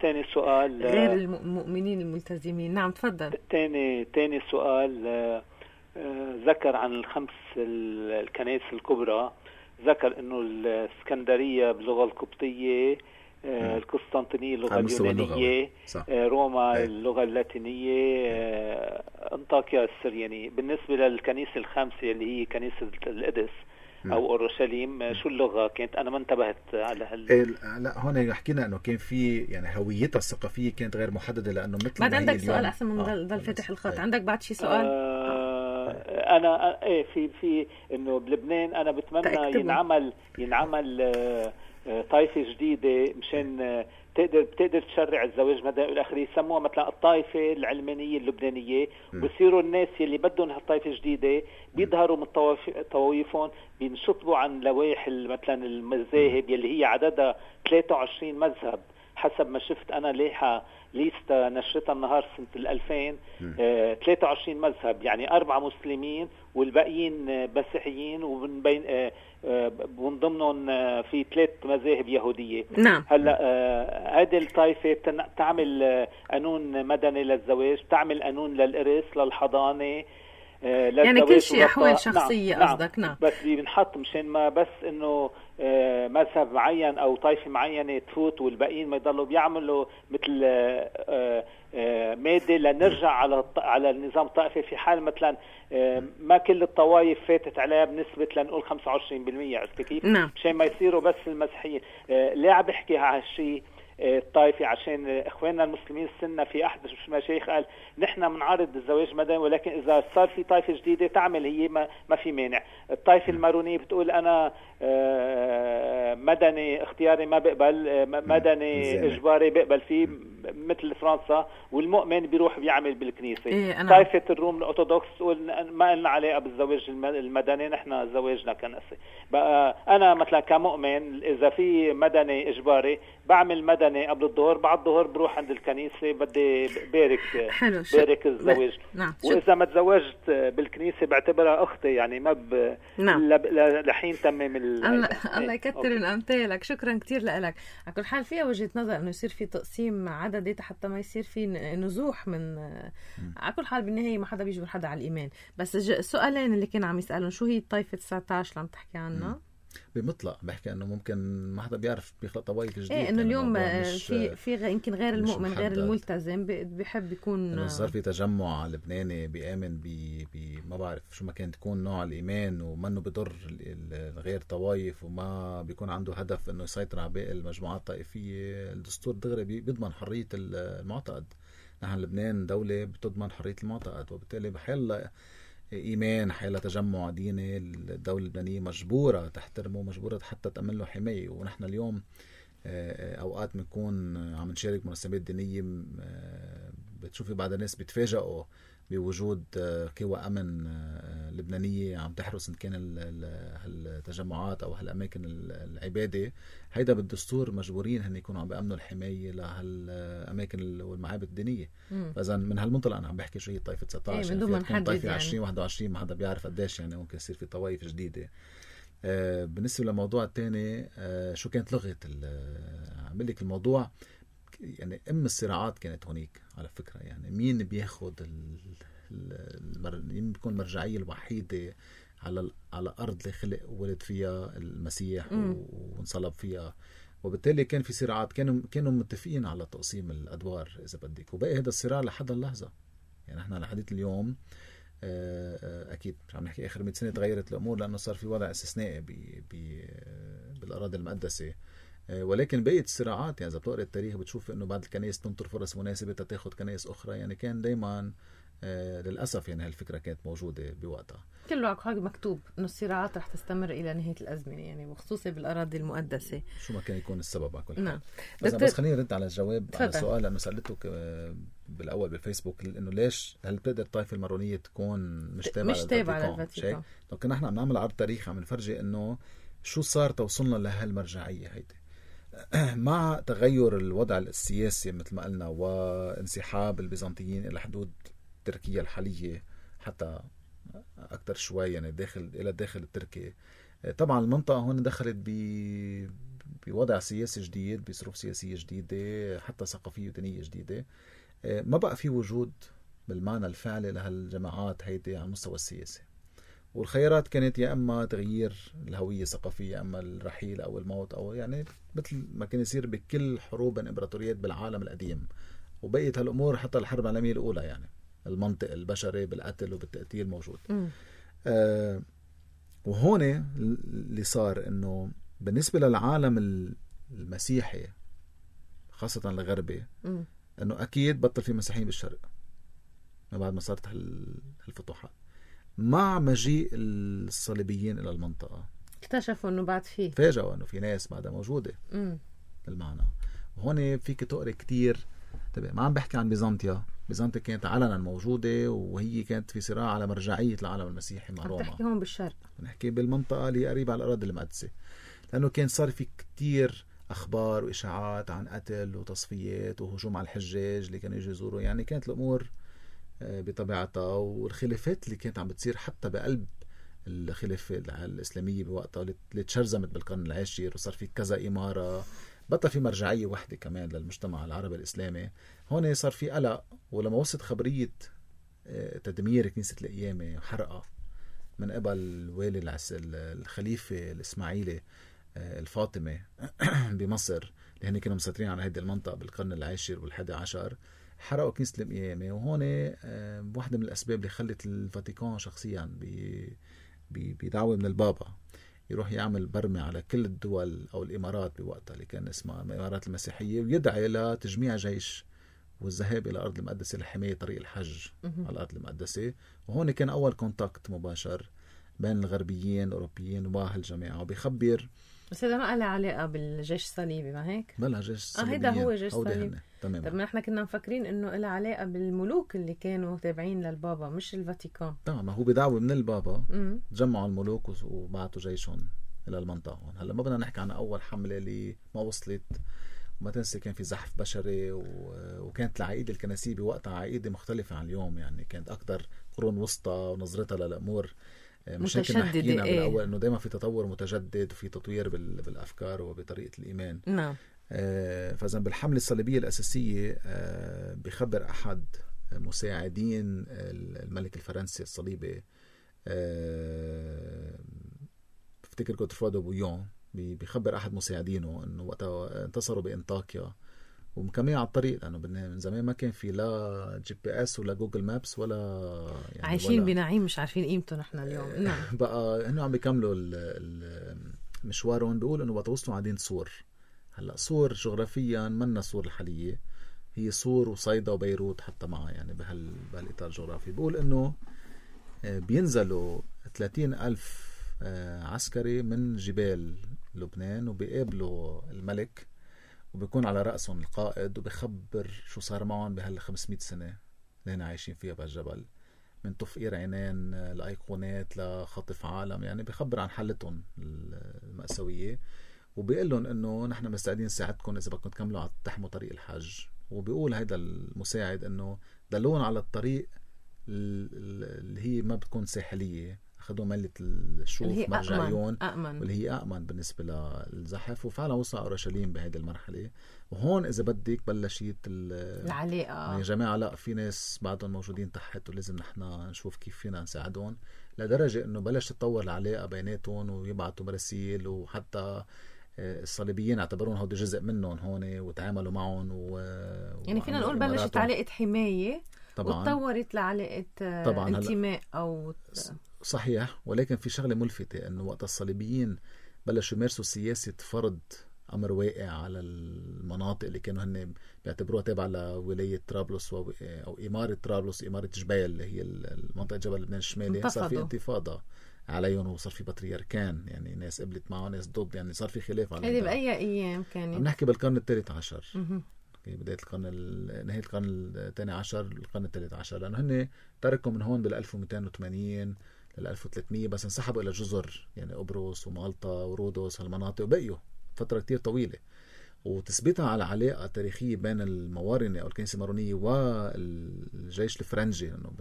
تاني سؤال
غير المؤمنين الملتزمين. نعم تفضل.
تاني سؤال ذكر عن الخمس الكنائس الكبرى، ذكر انه الاسكندرية باللغة القبطية، القسطنطينية اللغة اليونانية، روما اللغة اللاتينية، أنطاكيا السريانية. بالنسبة للكنيسة الخامسة اللي هي كنيسة القدس أو أورشليم، شو اللغة كانت؟ أنا ما انتبهت على
لا هون حكينا إنه كان في يعني هويتها الثقافية كانت غير محددة، لأنه مثل
بعد عندك سؤال أحسن من ضل فتح الخط. عندك بعد شي سؤال؟
أنا في إنه بلبنان أنا بتمنى ينعمل طائفة جديدة مشان بتقدر تشرع الزواج مدني والآخر، يسموها مثلا الطائفة العلمانية اللبنانية، وبصيروا الناس يلي بدهم هالطائفة جديدة بيظهروا من طوايفهم، بينشطبوا عن لوائح مثلا المذاهب يلي هي عددها 23 مذهب حسب ما شفت أنا ليستا نشرتها النهار سنة 2000. 23 مذهب، يعني 4 مسلمين والباقيين مسيحيين، ومن ضمنهم في 3 مذاهب يهودية.
نعم.
هلا هذه الطائفة تعمل قانون مدني للزواج، تعمل قانون للإرث، للحضانة،
يعني كل شيء أحوال شخصية. قصدك؟ نعم.
بس بنحط مشان ما بس إنه مذهب معين أو طائفة معينة تفوت والباقيين ما يضلوا بيعملوا مثل مادة لنرجع على النظام الطائفي، في حال مثلا ما كل الطوائف فاتت عليها بنسبة لنقول 25%. عرفت كيف؟
نعم.
مشان ما يصيروا بس المسيحيين. ليه عم بحكي هالشيء الطائفي؟ عشان اخواننا المسلمين السنة في احد المشايخ قال نحن بنعارض الزواج مدني، ولكن اذا صار في طائفة جديدة تعمل هي ما في مانع. الطائفة المارونية بتقول انا مدني اختياري ما بقبل، مدني اجباري بقبل فيه مثل فرنسا، والمؤمن بيروح بيعمل بالكنيسة. طائفة الروم الأرثوذكس تقول ما لنا علاقة بالزواج المدني، نحن زواجنا كنسي. بقى أنا مثلا كمؤمن إذا في مدني إجباري بعمل مدني قبل الظهر، بعد الظهر بروح عند الكنيسة بدي بارك الزواج.
نعم.
وإذا ما تزوجت بالكنيسة بعتبرها أختي، يعني ما
نعم.
لحين تمم
الله يكتر من أمثالك. شكرا كتير لك. على كل حال فيها وجهة نظر إنه يصير في تقسيم عددي حتى ما يصير في نزوح من على كل حال بالنهاية ما حدا بيجبر حدا على الإيمان. بس السؤالين اللي كان عم يسألون شو هي الطائفة 19 اللي عم تحكي عنها
بمطلق، بحكي انه ممكن ما حدا بيعرف بيخلق طوائف جديده.
ايه انه اليوم في يمكن غير المؤمن غير الملتزم بيحب يكون
انه صار في تجمع لبناني بيامن ما بعرف شو ما كان تكون نوع الايمان، ومنه بضر غير طوائف، وما بيكون عنده هدف انه يسيطر على باقي المجموعات الطائفيه. الدستور دغري بيضمن حريه المعتقد. نحن لبنان دوله بتضمن حريه المعتقد، وبالتالي بحيلا إيمان حيلا تجمع ديني الدولة اللبنانية مجبورة تحترمه، مجبورة حتى تأمن له حماية. ونحن اليوم أوقات بنكون عم نشارك مناسبات دينية، بتشوفي بعض الناس بيتفاجئوا بوجود قوى أمن لبنانية عم تحرس إن كان هالتجمعات أو هالأماكن العبادة. هيدا بالدستور مجبورين هن يكونوا عم بيأمنوا الحماية لهالأماكن والمعابد الدينية. فإذا من هالمنطلق أنا عم بحكي شو هي طائفة 19 يعني تكون طائفة 20-21 ما حدا بيعرف قديش يعني ممكن يصير في طوائف جديدة. بالنسبة للموضوع الثاني شو كانت لغة عمل لك الموضوع يعني الصراعات كانت هونيك على فكرة. يعني مين بياخد مين بيكون المرجعية الوحيدة على أرض اللي خلق ولد فيها المسيح وانصلب فيها. وبالتالي كان في صراعات، كانوا متفقين على تقسيم الأدوار إذا بدك، وبقي هذا الصراع لحد اللحظة. يعني احنا لحديت اليوم أكيد مش عم نحكي آخر 100 سنة تغيرت الأمور لأنه صار في وضع استثنائي بالأراضي المقدسة، ولكن بقيت الصراعات. يعني إذا بتقرأ التاريخ بتشوف إنه بعض الكنائس تنطر فرص مناسبة تاخد كنائس أخرى. يعني كان دايما للأسف يعني هالفكرة كانت موجودة بوقتها.
كله حاجة مكتوب إنه الصراعات رح تستمر إلى نهاية الأزمنة، يعني وخصوصا بالأراضي المقدسة
شو ما كان يكون السبب على كل حال.
نعم.
بس خليني رد على الجواب على السؤال لأنه سألتك بالأول بالفيسبوك إنه ليش هل بتقدر الطائفة المارونية تكون مش تابعة للفاتيكان. لكن نحن عم نعمل عرض تاريخ عم نفرجي إنه شو صار توصلنا لهالمرجعية هيدي مع تغير الوضع السياسي مثل ما قلنا وانسحاب البيزنطيين إلى حدود تركيا الحالية حتى أكتر شوي يعني إلى الداخل التركي. طبعا المنطقة هون دخلت بوضع سياسي جديد، بظروف سياسية جديدة، حتى ثقافية ودينية جديدة. ما بقى في وجود بالمعنى الفعلي لهالجماعات هيدي على المستوى السياسي، والخيارات كانت يا أما تغيير الهوية الثقافية، يا أما الرحيل أو الموت، أو يعني مثل ما كان يصير بكل حروب الإمبراطوريات بالعالم القديم. وبقيت هالأمور حتى الحرب العالمية الأولى يعني المنطق البشري بالقتل وبالتقتيل موجود. وهون اللي صار إنه بالنسبة للعالم المسيحي خاصة الغربي إنه أكيد بطل في مسيحيين بالشرق ما بعد ما صارت هالفتوحات. مع مجيء الصليبيين إلى المنطقة
اكتشفوا إنه بعد فيه،
فاجأوا إنه في ناس بعدها موجودة بالمعنى. وهون فيك تقري كتير. طبعا ما عم بحكي عن بيزنطيا كانت علنا موجودة وهي كانت في صراع على مرجعية العالم المسيحي مع روما.
بحكي هون بالشرق،
نحكي بالمنطقة اللي قريبة على الأراضي المقدسة، لأنه كان صار في كتير أخبار وإشاعات عن قتل وتصفيات وهجوم على الحجاج اللي كانوا يجوا يزوروا. يعني كانت الأمور بطبيعتها، والخلافات اللي كانت عم بتصير حتى بقلب الخلافة الإسلامية بوقتها اللي تشرزمت بالقرن العاشر، وصار في كذا إمارة، بطل في مرجعية واحدة كمان للمجتمع العربي الإسلامي. هون صار في قلق. ولما وصلت خبرية تدمير كنيسة القيامة وحرقها من قبل والي الخليفة الإسماعيلي الفاطمي بمصر اللي هن كانوا مسيطرين على هذه المنطقة بالقرن العاشر والحادي عشر، حرقوا كنيسة القيامة. وهون واحدة من الأسباب اللي خلت الفاتيكان شخصيا بدعوة من البابا يروح يعمل برمة على كل الدول أو الإمارات بوقتها اللي كان اسمها الإمارات المسيحية، ويدعي لتجميع جيش والذهاب إلى الأرض المقدسة لحماية طريق الحج على الأرض المقدسة. وهون كان أول كونتاكت مباشر بين الغربيين الأوروبيين وهالجماعة. وبيخبر
بس هذا ما له علاقة بالجيش الصليبي، ما هيك؟
بلا جيش صليبيين.
هيدا هو جيش صليبي.
تمام.
طب ما احنا كنا مفكرين انه له علاقة بالملوك اللي كانوا تابعين للبابا مش الفاتيكان.
تمام. هو بدعوة من البابا جمعوا الملوك وبعتوا جيشهم إلى المنطقة هون. هلا ما بدنا نحكي عن أول حملة اللي ما وصلت، وما تنسي كان في زحف بشري وكانت العقيدة الكنسية بوقتها عقيدة مختلفة عن اليوم. يعني كانت أكتر قرون وسطى ونظرتها للأمور مش هيك حكينا بالأول إنه دايما في تطور متجدد وفي تطوير بالأفكار وبطريقة الإيمان.
نعم.
فإذا بالحملة الصليبية الأساسية بيخبر أحد مساعدين الملك الفرنسي الصليبي بفتكر كوترفادو بويون، بيخبر أحد مساعدينه إنه وقتها انتصروا بإنطاكيا ومكملين على الطريق، لأنه من زمان ما كان في لا GPS ولا جوجل مابس ولا يعني
عايشين بنعيم مش عارفين قيمته نحن اليوم. نعم.
بقى هنو عم بيكملوا مشوارهم. بيقول إنه وصلوا على مدينة صور. هلا صور جغرافيا منا صور الحالية، هي صور وصيدا وبيروت حتى معها يعني بهالإطار الجغرافي. بيقول إنه بينزلوا 30,000 عسكري من جبال لبنان وبيقابلوا الملك وبيكون على رأسهم القائد وبيخبر شو صار معهم بهال500 سنة اللي هنا عايشين فيها بهالجبل، من تفقير عينين لأيقونات لخطف عالم، يعني بيخبر عن حالتهم المأساوية وبيقول لهم انه نحن مستعدين نساعدكم اذا بدكم تكملوا تحموا طريق الحج. وبيقول هيدا المساعد انه دلون على الطريق اللي هي ما بتكون ساحلية، أخذوا ملة الشوف مرجعيون واللي هي أأمن بالنسبة للزحف، وفعلا وصل على أورشليم بهذه المرحلة. وهون إذا بدك بلشت
العلاقة،
يعني يا جماعة لا في ناس بعدهم موجودين تحت ولازم نحن نشوف كيف فينا نساعدهم، لدرجة إنه بلش تطور العلاقة بيناتهم ويبعتوا مراسيل، وحتى الصليبيين اعتبرون هودي جزء منهم هون وتعاملوا معهم
يعني فينا نقول بلشت علاقة حماية طبعا وتطورت لعلاقة انتماء أو
صحيح. ولكن في شغلة ملفتة انه وقت الصليبيين بلشوا يمارسوا سياسة فرض أمر واقع على المناطق اللي كانوا هن بيعتبروها تابعة لولاية طرابلس أو إمارة طرابلس، إمارة جبيل اللي هي المنطقة جبل لبنان الشمالي، صار في انتفاضة عليهم وصار في بطريركان، يعني ناس قبلت معه ناس ضد، يعني صار في خلاف على
هذه بأي أيام كانت؟
عم نحكي بالقرن الثالث عشر، بداية القرن نهاية القرن الثاني عشر القرن الثالث عشر، لأنه هن تركوا من هون بال1280 لل1300 بس انسحبوا إلى جزر يعني قبرص ومالطا ورودوس هالمناطق وبقيوا فترة كتير طويلة. وتثبيتها على علاقة تاريخية بين الموارنة أو الكنيسة المارونية والجيش الفرنجي، لأنه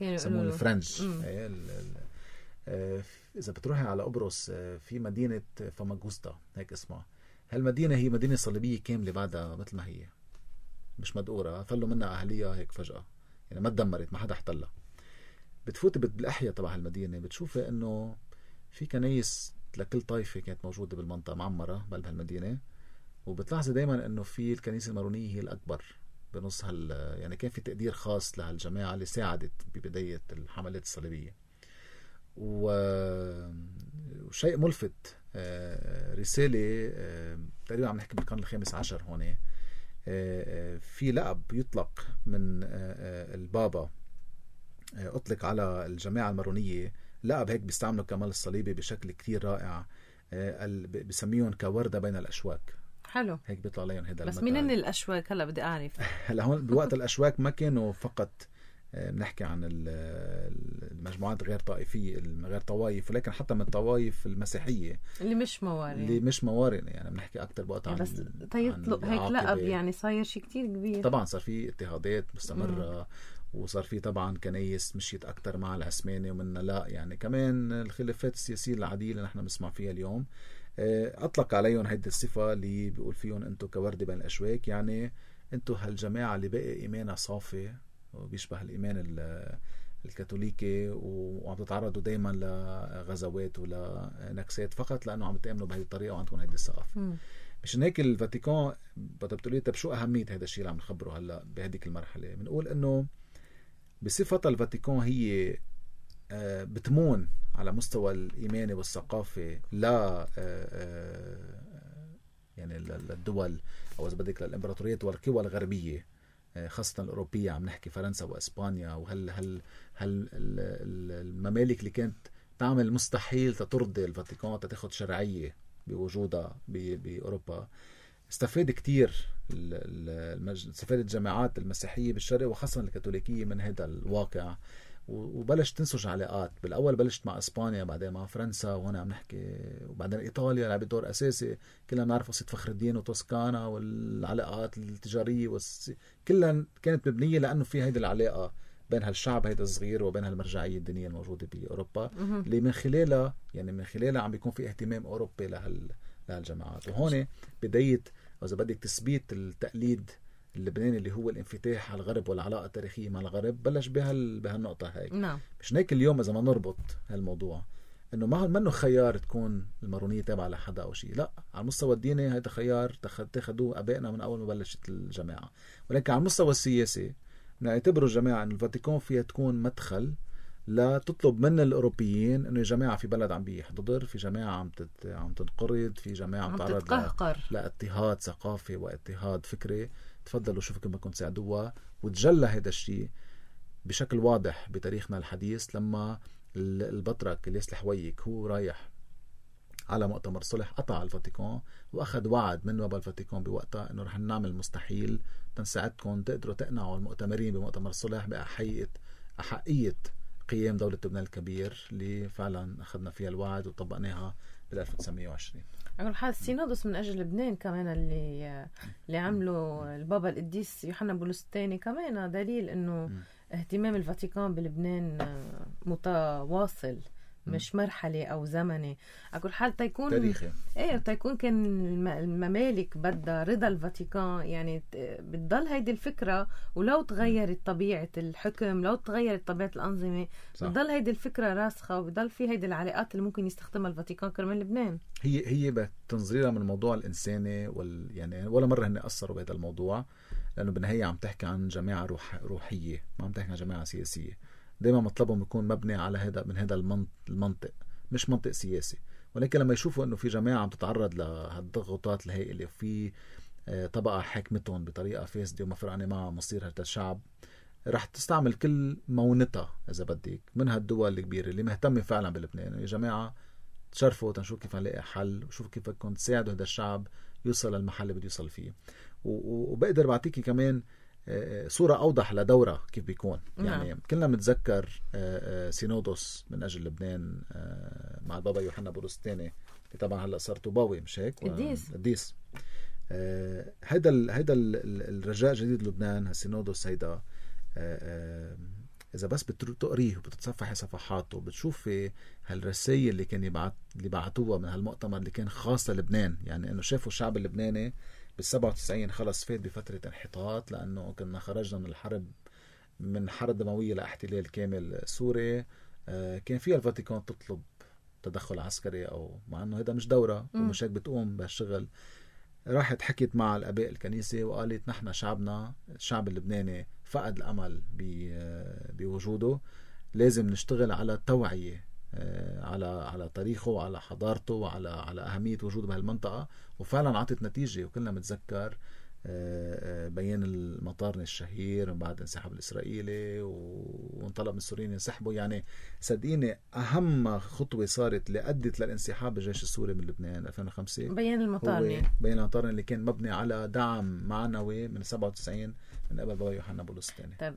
بيسمون الفرنج. إذا بتروحي على قبرص في مدينة فاماغوستا هيك اسمها، هالمدينة هي مدينة صليبية كاملة بعدها مثل ما هي، مش مدقورة، فلوا منها أهلية هيك فجأة، يعني ما تدمرت، ما حدا احتلها. بتفوتي بالأحياء تبع المدينة بتشوفي إنه في كنايس لكل طائفة كانت موجودة بالمنطقة معمرة بقلب هالمدينة، وبتلاحظي دايما إنه في الكنيسة المارونية هي الأكبر بنص يعني كان في تقدير خاص لهالجماعة اللي ساعدت ببداية الحملات الصليبية. وشيء ملفت، رسالة تقريبا عم نحكي بالقرن الخامس عشر هون، في لقب يطلق من البابا أطلق على الجماعة المارونية، لقب هيك بيستعملوا كمال الصليبي بشكل كتير رائع، بسميهم كوردة بين الأشواك.
حلو،
هيك بيطلع عليهم هذا.
بس مين الأشواك؟ هلا بدي أعرف.
هلا هون بوقت الأشواك ما كانوا فقط بنحكي عن المجموعات غير طائفية غير طوائف، ولكن حتى من الطوائف المسيحية اللي مش موارنة يعني بنحكي أكتر بوقت عن
بس يطلق هيك لقب، يعني صاير شيء كتير كبير.
طبعا صار في اضطهادات مستمرة وصار في طبعا كنايس مشيت أكتر مع العثماني ومنها لا، يعني كمان الخلافات السياسية العادية اللي نحن بنسمع فيها اليوم. أطلق عليهم هيدي الصفة اللي بيقول فيهم أنتوا كوردة بين الأشواك، يعني أنتوا هالجماعة اللي بقى إيمانها صافي وبيشبه الإيمان الكاثوليكي، وعم تتعرضوا دايما لغزوات ولنكسات فقط لأنه عم تأمنوا بهذه الطريقة وعندكم هيدي الثقافة. مشان هيك الفاتيكان بتقولي طب شو أهمية هذا الشيء اللي عم نخبره هلا بهديك المرحلة؟ بنقول إنه بصفتها الفاتيكان هي بتمون على مستوى الإيماني والثقافة لا يعني للدول أو إذا بدك للإمبراطوريات والقوى الغربية خاصة الأوروبية، عم نحكي فرنسا وإسبانيا وهل الممالك اللي كانت تعمل مستحيل تترضي الفاتيكان تاخد شرعية بوجودها بأوروبا. استفاد كتير استفادت الجامعات المسيحية بالشرق وخاصة الكاثوليكية من هذا الواقع، وبلش تنسج علاقات. بالأول بلشت مع إسبانيا، بعدين مع فرنسا، وهنا عم نحكي وبعدين إيطاليا لعبت دور أساسي. كلنا بنعرف قصة فخر الدين وتوسكانا والعلاقات التجارية كلها كانت مبنية لأنه في هيدي العلاقة بين هالشعب هيدا الصغير وبين هالمرجعية الدينية الموجودة بأوروبا اللي من خلالها عم بيكون في اهتمام أوروبي لهالجماعات. وهون بداية وإذا بدك تثبيت التقليد اللبناني اللي هو الانفتاح على الغرب والعلاقة التاريخية مع الغرب بلش بهالنقطة هاي.
نعم.
مش هيك اليوم إذا ما نربط هالموضوع إنه ما منه خيار تكون المارونية تابعة لحدا أو شيء، لا، على المستوى الديني هذا خيار اتخذوه أبائنا من أول ما بلشت الجماعة. ولكن على المستوى السياسي نعتبروا الجماعة إن الفاتيكان فيها تكون مدخل لا تطلب من الأوروبيين إنه يا جماعة في بلد عم بيحتضر، في جماعة عم تنقرض، في جماعة عم تتقهقر لاضطهاد ثقافي واضطهاد فكري، تفضلوا شوفوا كيف بدكم تساعدوها. وتجلى هذا الشيء بشكل واضح بتاريخنا الحديث لما البطرك الياس الحويك هو رايح على مؤتمر صلح قطع الفاتيكان واخذ وعد من بابا الفاتيكان بوقتها انه رح نعمل مستحيل تنساعدكم تقدروا تقنعوا المؤتمرين بمؤتمر صلح بأحقية قيام دولة لبنان الكبير اللي فعلا اخذنا فيها الوعد وطبقناها بال 1920.
على حال السينودوس من اجل لبنان كمان اللي عمله البابا القديس يوحنا بولس الثاني كمان دليل انه اهتمام الفاتيكان بلبنان متواصل مش مرحلة أو زمني. أقول حال تيكون
تاريخي
تيكون كان الممالك بدها رضا الفاتيكان يعني بتضل هيدي الفكرة ولو تغيرت طبيعة الحكم لو تغيرت طبيعة الأنظمة بتضل هيدي الفكرة راسخة وبتضل في هيدي العلاقات اللي ممكن يستخدمها الفاتيكان كرمال لبنان.
هي بتنظيرها من الموضوع الإنساني يعني ولا مرة هن أثروا بهذا الموضوع لأنه بالنهاية عم تحكي عن جماعة روحية ما عم تحكي عن جماعة سياسية. دايما مطلبهم يكون مبني على هذا المنطق مش منطق سياسي. ولكن لما يشوفوا انه في جماعة عم تتعرض لهالضغوطات الهائلة وفي طبقة حاكمتهم بطريقة فاسدة وما فرقانة مع مصير هذا الشعب رح تستعمل كل مونتها اذا بدك من هالدول الكبيرة اللي مهتمة فعلا بلبنان. يا جماعة تشرفوا تنشوف كيف نلاقي حل وشوفوا كيف بدكم تساعدوا هذا الشعب يوصل للمحل اللي بده يوصل فيه. وبقدر بعطيكي كمان صورة أوضح لدورة كيف بيكون يعني كلنا بنتذكر سينودوس من أجل لبنان مع البابا يوحنا بولس الثاني اللي طبعا هلا صار طوباوي مش هيك قديس. هيدا الرجاء جديد لبنان هالسينودوس هيدا إذا بس بتقريه وبتتصفحي صفحاته بتشوفي هالرسائل اللي كان اللي بعتوها من هالمؤتمر اللي كان خاص للبنان. يعني إنه شافوا الشعب اللبناني بال97 خلص فات بفترة انحطاط لأنه كنا خرجنا من حرب دموية لاحتلال كامل سوري. كان فيها الفاتيكان تطلب تدخل عسكري أو مع أنه هذا مش دورة ومش هيك بتقوم بهالشغل. راحت حكيت مع الآباء الكنيسة وقالت نحن الشعب اللبناني فقد الأمل بوجوده لازم نشتغل على التوعية على تاريخه وعلى حضارته وعلى أهمية وجوده بهالمنطقة. وفعلا عطت نتيجة وكلنا متذكر بيان المطارنة الشهير من بعد انسحاب الإسرائيلي وانطلب من السوريين ينسحبوا. يعني صدقيني أهم خطوة صارت اللي أدت للانسحاب الجيش السوري من لبنان 2005
بيان المطارنة
اللي كان مبني على دعم معنوي من 97 من قبل بابا يوحنا بولس الثاني.
طيب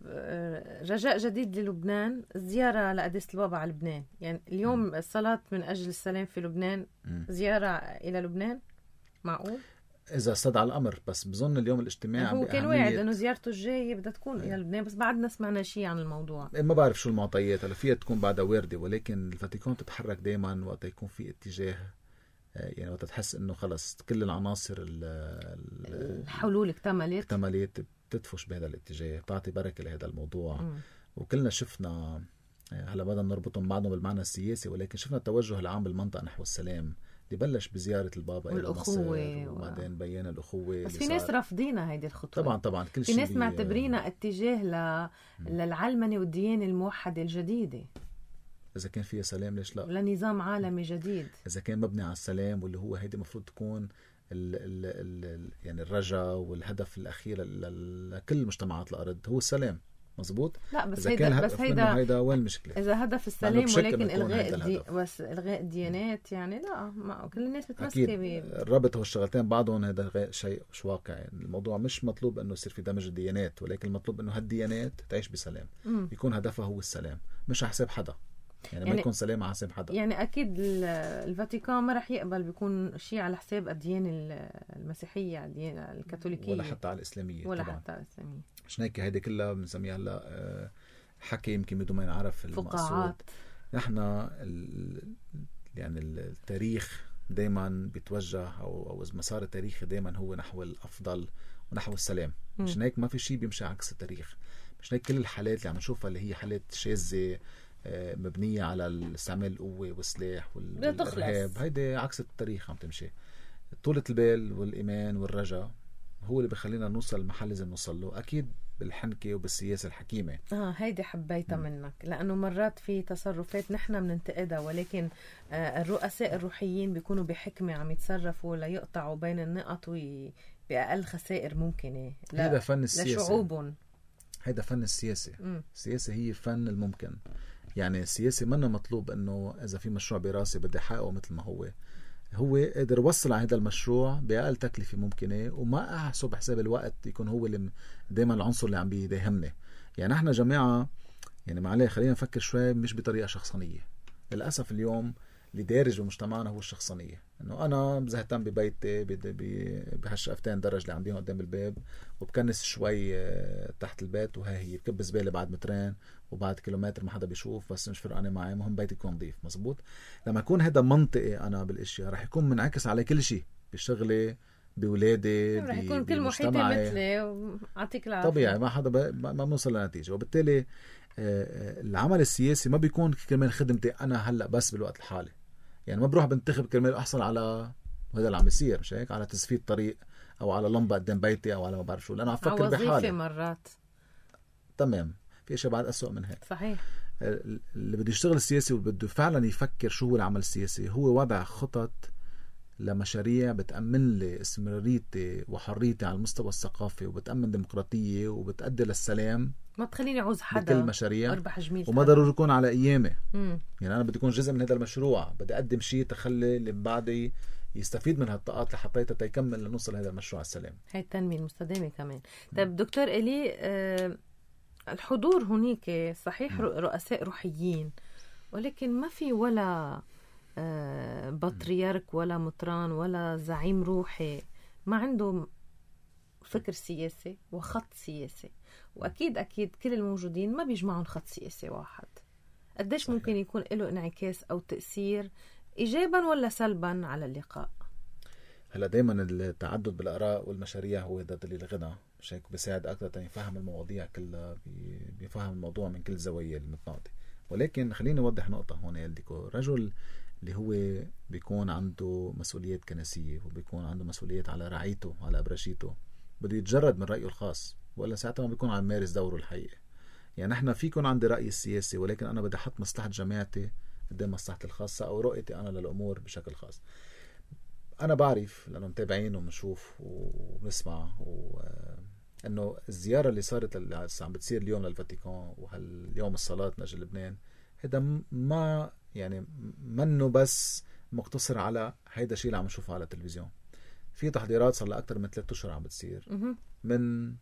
رجاء جديد للبنان زيارة لقداسة البابا على لبنان. يعني اليوم الصلاة من أجل السلام في لبنان زيارة إلى لبنان معقول؟
إذا استدعى الأمر بس بظن اليوم الاجتماع
هو كان واعد إنه زيارته الجاية بدها تكون إلى لبنان بس بعدنا سمعنا شيء عن الموضوع.
ما بعرف شو المعطيات هلا فيها تكون بعدها واردة ولكن الفاتيكان تتحرك دايما وقت يكون في اتجاه يعني وقت تحس إنه خلص كل العناصر
الحلول اكتملت
بتدفش بهذا الاتجاه بتعطي بركة لهذا الموضوع. وكلنا شفنا هلا بدنا نربطهم بعضهم بالمعنى السياسي ولكن شفنا التوجه العام بالمنطقة نحو السلام اللي بلش بزيارة البابا إلى مصر وبعدين بيان الأخوة.
بس في ناس رافضينها هيدي الخطوة.
طبعا كل
شيء في ناس معتبرينها اتجاه للعلمنة والديانة الموحدة الجديدة.
إذا كان فيها سلام ليش لا؟
لنظام عالمي جديد
إذا كان مبني على السلام واللي هو هيدي مفروض تكون يعني الرجاء والهدف الأخير لكل مجتمعات الأرض هو السلام. مزبوط.
لا بس هيدا
وين المشكلة؟
إذا هدف السلام ولكن إلغاء الديانات يعني لا ما كل الناس بتمسك
الربط هو الشغلتين بعضهم هذا شيء مش واقعي. الموضوع مش مطلوب إنه يصير في دمج الديانات ولكن المطلوب إنه هالديانات تعيش بسلام يكون هدفها هو السلام مش على حساب حدا يعني ما يكون سلام على حساب حدا.
يعني أكيد الفاتيكان ما رح يقبل بيكون شيء على حساب الديانة المسيحية الديانة الكاثوليكية
ولا حتى على الإسلامية
ولا
طبعا.
حتى على الإسلامية.
عشان هيك هيدي كلها بنسميها هلا حكي يمكن بدون ما ينعرف المقصود. نحن يعني التاريخ دايما بيتوجه أو مسار التاريخ دايما هو نحو الأفضل ونحو السلام. عشان هيك ما في شيء بيمشي عكس التاريخ. عشان هيك كل الحالات اللي عم نشوفها اللي هي حالات شاذة مبنية على استعمال القوة والسلاح والإرهاب هيدي عكس التاريخ عم تمشي. طولة البال والإيمان والرجاء هو اللي بخلينا نوصل المحل لازم نوصل له أكيد بالحنكة وبالسياسة الحكيمة.
هيدي حبيتها منك لأنه مرات في تصرفات نحن بننتقدها ولكن الرؤساء الروحيين بيكونوا بحكمة عم يتصرفوا ليقطعوا بين النقط بأقل خسائر ممكنة
هذا فن السياسة.
لشعوبهم.
هيدا فن السياسة. السياسة هي فن الممكن. يعني السياسة منا مطلوب انه اذا في مشروع براسي بدي احققه مثل ما هو قادر يوصل على هذا المشروع بأقل تكلفة ممكنة، وما احسب حساب الوقت يكون هو اللي دايما العنصر اللي عم بيهمني. يعني احنا جماعة يعني معليه خلينا نفكر شوي مش بطريقة شخصانية. للأسف اليوم اللي دارج بمجتمعنا هو الشخصانية، انه انا بزهتم ببيتي بهالشقفتين درج اللي عنديهم قدام الباب، وبكنس شوي تحت البيت، وهي هي بكب زبالة بعد مترين وبعد كيلومتر ما حدا بيشوف، بس مش فرقانة معي، مهم بيتي يكون نظيف. مزبوط. لما يكون هذا منطقي انا بالاشياء رح يكون منعكس على كل شيء، بشغلي، بولادي،
رح يكون كل محيطي مثلي وعطيك العافية.
طبيعي ما حدا ما بنوصل لنتيجة. وبالتالي العمل السياسي ما بيكون كرمال خدمتي انا هلا بس بالوقت الحالي. يعني ما بروح بنتخب كرمال احصل على هذا اللي عم يصير، مش هيك، على تسفيد طريق او على لمبه قدام بيتي او على ما بعرف شو، لأنا عم فكر بحالي
مرات.
تمام، في اشياء بعد أسوأ من هيك.
صحيح.
اللي بده يشتغل السياسي وبده فعلا يفكر شو هو العمل السياسي، هو وضع خطط لمشاريع بتأمن لي استمراريتي وحريتي على المستوى الثقافي، وبتأمن ديمقراطية، وبتأدي للسلام.
ما تخليني عوز حدا
بكل مشاريع،
اربح جميل،
وما ضروري يكون على ايامي. يعني انا بدي اكون جزء من هذا المشروع، بدي اقدم شيء تخلي اللي بعدي يستفيد من هالطاقات اللي حطيتها تيكمل لنوصل لهذا المشروع السلام.
هاي التنمية المستدامة كمان. طيب دكتور إلي، الحضور هناك صحيح رؤساء روحيين، ولكن ما في ولا بطريرك ولا مطران ولا زعيم روحي ما عنده فكر سياسي وخط سياسي. وأكيد كل الموجودين ما بيجمعون خط سياسي واحد. قديش صحيح. ممكن يكون له انعكاس أو تأثير إيجابا ولا سلبا على اللقاء؟
هلا دايما التعدد بالآراء والمشاريع هو ده دليل غنى، مش هيك بيساعد أكثر يفهم المواضيع كلها، بيفهم الموضوع من كل زوايا المتناقضة. ولكن خليني أوضح نقطة هون يا ديكو. رجل اللي هو بيكون عنده مسؤوليات كنسية وبيكون عنده مسؤوليات على رعيته على أبرشيته، بده يتجرد من رأيه الخاص، ولا ساعتها ما بيكون عم يمارس دوره الحقيقي. يعني احنا في يكون عندي رأيي السياسي، ولكن انا بدي احط مصلحة جماعتي قدام مصلحتي الخاصة او رؤيتي انا للامور بشكل خاص. انا بعرف لانه متابعين وبنشوف وبنسمع انه الزيارة اللي صارت اللي عم بتصير اليوم للفاتيكان وهاليوم الصلاة من اجل لبنان، هذا ما يعني منه بس مقتصر على هيدا الشيء اللي عم نشوفه على التلفزيون. في تحضيرات صار لها أكثر من 3 أشهر عم بتصير، من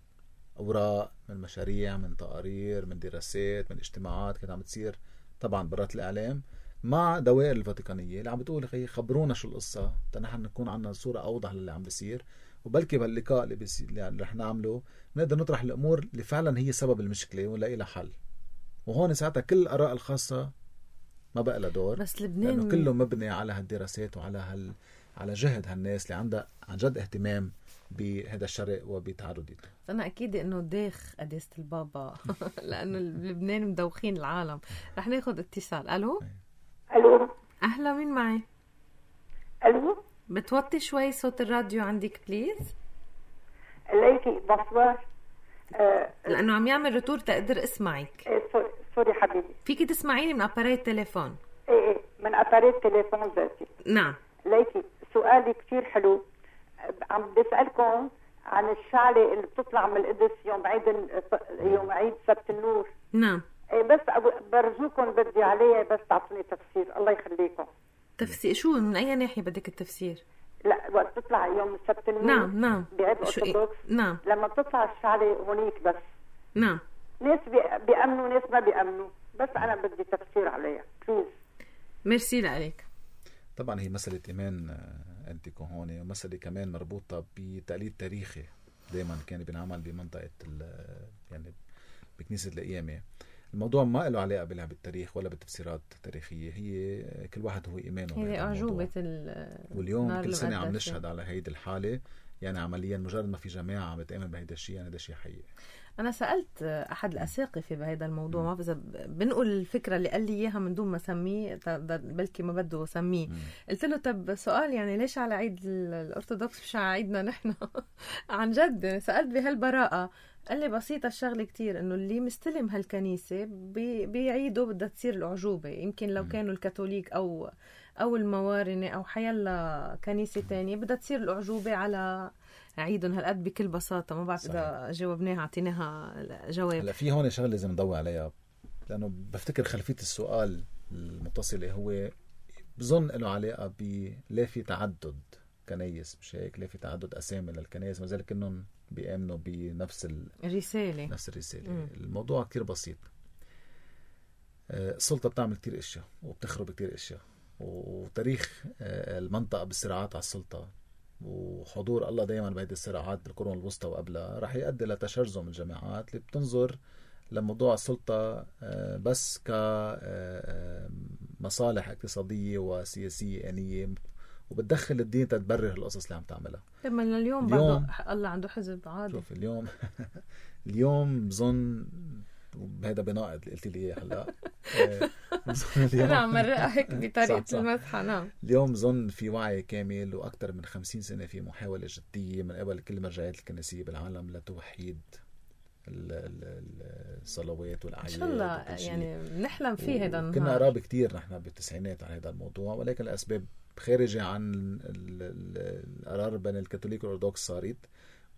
أوراق، من مشاريع، من تقارير، من دراسات، من اجتماعات كانت عم بتصير طبعا برات الإعلام مع دوائر الفاتيكانية اللي عم بتقول أخي خبرونا شو القصة تنحن نكون عنا صورة أوضح للي عم بيصير، وبلكي باللقاء اللي رح نعمله نقدر نطرح الأمور اللي فعلا هي سبب المشكلة ونلاقي لها حل. وهون ساعتها كل الآراء الخاصة ما بقى لها دور،
بس لبنان
لأنه كله مبني على هالدراسات وعلى على جهد هالناس اللي عندها عن جد اهتمام بهذا الشرق وبتعرضيته.
أنا أكيد إنه داخ قداسة البابا لأنه لبنان مدوخين العالم. رح ناخد اتصال. ألو. أهلا، مين معي؟
ألو.
بتوطي شوي صوت الراديو عندك بليز؟
ليكي بصوار
لأنه عم يعمل رتور تقدر اسمعك.
سوري حبيبي.
فيكي تسمعيني من أباريت تليفون؟
ايه من أباريت تليفون ذاتي.
نعم.
ليكي سؤالي كتير حلو. عم بسألكم عن الشعلة اللي بتطلع من القدس يوم عيد سبت النور.
نعم.
ايه بس برجوكم بدي عليها بس تعطوني تفسير الله يخليكم.
تفسير شو؟ من أي ناحية بدك التفسير؟
لا وقت تطلع يوم سبت النور.
نعم
بعيد أرثوذكس.
نعم.
لما بتطلع الشعلة هونيك بس.
نعم.
ناس بيأمنوا ناس ما بيأمنوا، بس أنا بدي تفسير عليها بليز.
ميرسي لك.
طبعا هي مسألة إيمان أنت كهوني، ومسألة كمان مربوطة بتقليد تاريخي دايما كان بينعمل بمنطقة يعني بكنيسة القيامة. الموضوع ما له علاقة بلعب التاريخ ولا بالتفسيرات التاريخية، هي كل واحد هو إيمانه.
هي أعجوبة
واليوم كل سنة عم نشهد على هيدي الحالة. يعني عمليا مجرد ما في جماعة عم بتآمن بهيدا الشيء، يعني ده شيء حقيقي.
أنا سألت أحد الأساقفة بهذا الموضوع، ما إذا بنقول الفكرة اللي قال لي إياها من دون ما سميه، بلكي ما بده سميه. قلت له طب سؤال، يعني ليش على عيد الأرثوذكس مش على عيدنا نحن؟ عن جد سألت بهالبراءة. قال لي بسيطة الشغلة كتير، إنه اللي مستلم هالكنيسة بيعيدوا بدها تصير الأعجوبة. يمكن لو كانوا الكاثوليك أو الموارنة أو حيلا كنيسة تانية بدها تصير الأعجوبة على أعيدهم هالقد بكل بساطة. ما بعرف إذا جاوبناها عطيناها جواب.
هلا في هون شغله لازم نضوي عليها، لانه بفتكر خلفيه السؤال المتصله هو بظن له علاقه ليه في تعدد كنايس، مش هيك؟ ليه في تعدد اسامي للكنايس ما ذلك انهم بيامنوا بنفس الرساله. نفس الرساله. الموضوع كتير بسيط. السلطه بتعمل كتير اشياء وبتخرب كتير اشياء، وتاريخ المنطقه بالصراعات على السلطه وحضور الله دائما بهيدي الصراعات بالقرون الوسطى وقبلها راح يؤدي لتشرذم الجماعات اللي بتنظر لموضوع السلطة بس كمصالح اقتصادية وسياسية آنية، وبتدخل الدين تتبرر القصص اللي عم تعملها.
لما اليوم الله عنده حزب عادي.
شوف اليوم بظن وهذا بناقض اللي قلت لي اياه هلا.
انا عم مرقها هيك بطريقه المسحه. نعم.
اليوم بظن في وعي كامل واكثر من 50 سنه في محاوله جديه من قبل كل المرجعيات الكنسيه بالعالم لتوحيد الصلوات والاعياد. ان شاء الله
يعني نحلم فيه هذا النهار.
كنا قراب كتير نحن بالتسعينات على هذا الموضوع، ولكن الاسباب خارجه عن القرار بين الكاثوليك والأرثوذكس صارت،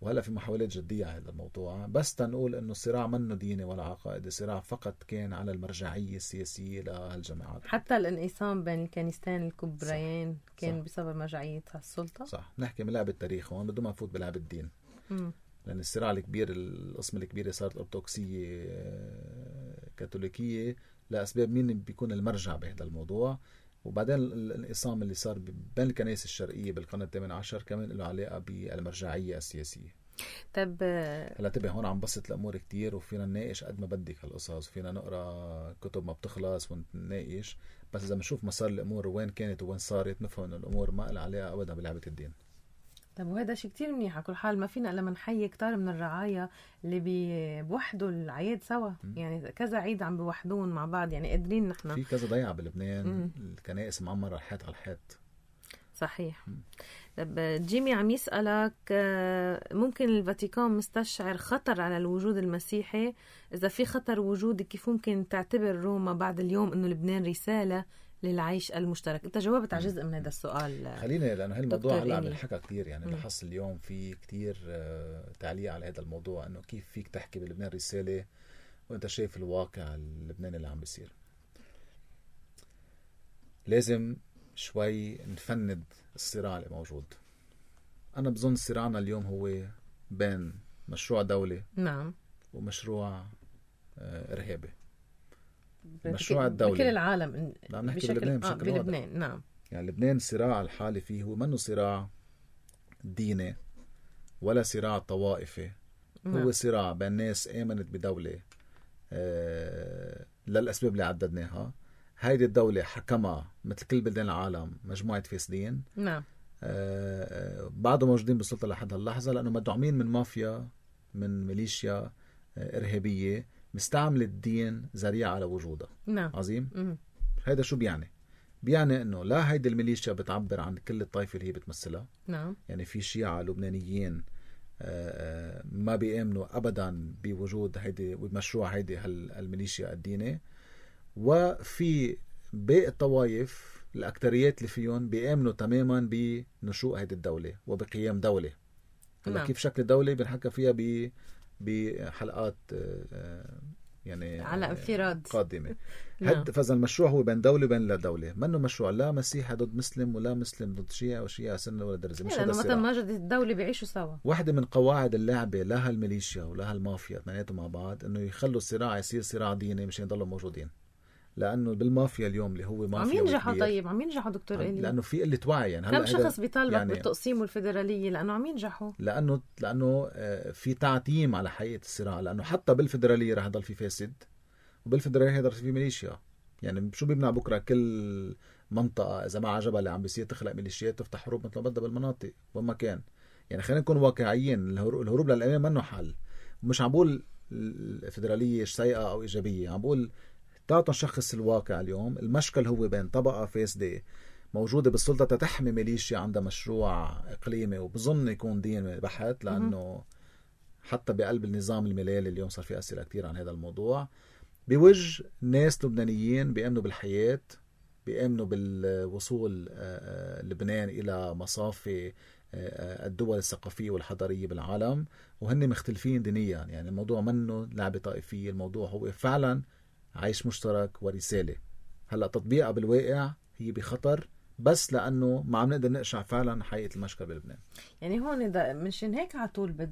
وهلا في محاولات جديه على هذا الموضوع. بس تنقول انه الصراع منه ديني ولا عقائدي، الصراع فقط كان على المرجعيه السياسيه لهالجماعات.
حتى الانقسام بين الكنيستين الكبريين كان بسبب مرجعيه السلطه.
صح. نحكي من لعب التاريخ هون بدون ما نفوت بلعب الدين. لان الصراع الكبير، القسم الكبيره صارت ارثوذكسيه كاثوليكيه لاسباب مين بيكون المرجع بهذا الموضوع. وبعدين الانقسام اللي صار بين الكنائس الشرقيه بالقرن الثامن عشر كمان له علاقه بالمرجعيه السياسيه.
طب
هلا انتبه هون عم بسط الامور كتير، وفينا نناقش قد ما بدك هالقصص، وفينا نقرا كتب ما بتخلص ونناقش، بس اذا بنشوف مسار الامور وين كانت وين صارت نفهم انه الامور ما لها علاقه ابدا بلعبه الدين.
طب وهذا شيء كتير منيح. على كل حال ما فينا الا نحيي كتار من الرعايا اللي بيوحدوا العياد سوا. يعني كذا عيد عم بيوحدون مع بعض، يعني قادرين نحن.
في كذا ضيعه بلبنان الكنائس معمره الحيط على الحيط.
صحيح. طب جيمي عم يسألك ممكن الفاتيكان مستشعر خطر على الوجود المسيحي؟ إذا في خطر وجودي كيف ممكن تعتبر روما بعد اليوم إنه لبنان رسالة للعيش المشترك؟ انت جاوبت على جزء من هذا السؤال.
خلينا لانه هالموضوع هلا عم ينحكى كثير، يعني بحس اليوم في كثير تعليق على هذا الموضوع، انه كيف فيك تحكي بلبنان رساله وانت شايف الواقع اللبناني اللي عم بيصير. لازم شوي نفند الصراع اللي موجود. انا بظن صراعنا اليوم هو بين مشروع دولي
نعم
ومشروع ارهابي. مشروع الدولة
بكل العالم
بشكل
بلبنان. نعم.
يعني لبنان الصراع الحالي فيه هو منه صراع ديني ولا صراع طوائفي. هو صراع بين ناس آمنت بدولة للأسباب اللي عددناها. هيدي الدولة حكمها مثل كل بلدان العالم مجموعة فاسدين.
نعم.
بعضهم موجودين بالسلطة لحد هاللحظة لأنه مدعومين من مافيا، من ميليشيا إرهابية مستعمل الدين ذريعة على وجودها.
نعم.
عظيم. هيدا شو بيعني؟ بيعني انه لا هيدي الميليشيا بتعبر عن كل الطائفة اللي هي بتمثلها.
نعم.
يعني في شيعة لبنانيين ما بيؤمنوا ابدا بوجود هيدي ومشروع هيدي الميليشيا الديني، وفي باقي الطوائف الاكتريات اللي فيهم بيؤمنوا تماما بنشوء هيدي الدولة وبقيام دولة. هلا كيف شكل الدولة بنحكى فيها بحلقات يعني
على انفراد
قادمة. فإذا المشروع هو بين دولة وبين لا دولة، منه مشروع لا مسيحي ضد مسلم ولا مسلم ضد شيعة وشيعة سنة ولا درزة. مش هذا الصراع.
ما وجدت الدولة بيعيشوا سوا.
واحدة من قواعد اللعبة لا هالميليشيا ولا هالمافيا اثنيناتهم مع بعض انه يخلوا الصراع يصير صراع ديني مشان يضلوا موجودين. لانه بالمافيا اليوم اللي هو مافيا
عم ينجحوا. طيب عم ينجحوا دكتور إلي؟
لانه في قله وعي. يعني
كم شخص بيطالبك يعني بالتقسيم والفيدراليه لانه عم ينجحوا؟
لانه في تعتيم على حقيقه الصراع. لانه حتى بالفيدراليه رح يضل في فاسد، وبالفيدراليه رح يضل في ميليشيا. يعني شو بيمنع بكره كل منطقه اذا ما عجبها اللي عم بيصير تخلق ميليشيات تفتح حروب مثل ما بدها بالمناطق وين ما كان. يعني خلينا نكون واقعيين. الهروب للامان منه حل. مش عم بقول الفيدراليه سيئه او ايجابيه، عم بقول تعطوا شخص الواقع. اليوم المشكل هو بين طبقة فاسدة موجودة بالسلطة تتحمي ميليشيا عندها مشروع إقليمي وبظن يكون دين بحت، لأنه حتى بقلب النظام الملالي اليوم صار في أسئلة كتير عن هذا الموضوع. بوجه ناس لبنانيين بيأمنوا بالحياة، بيأمنوا بالوصول لبنان إلى مصافي الدول الثقافية والحضارية بالعالم، وهن مختلفين دينيا. يعني الموضوع منه لعبة طائفية، الموضوع هو فعلا عيش مشترك ورسالة. هلأ تطبيقها بالواقع هي بخطر، بس لأنه ما عم نقدر نقشع فعلا حقيقة المشكلة بلبنان.
يعني هون منشان هيك على طول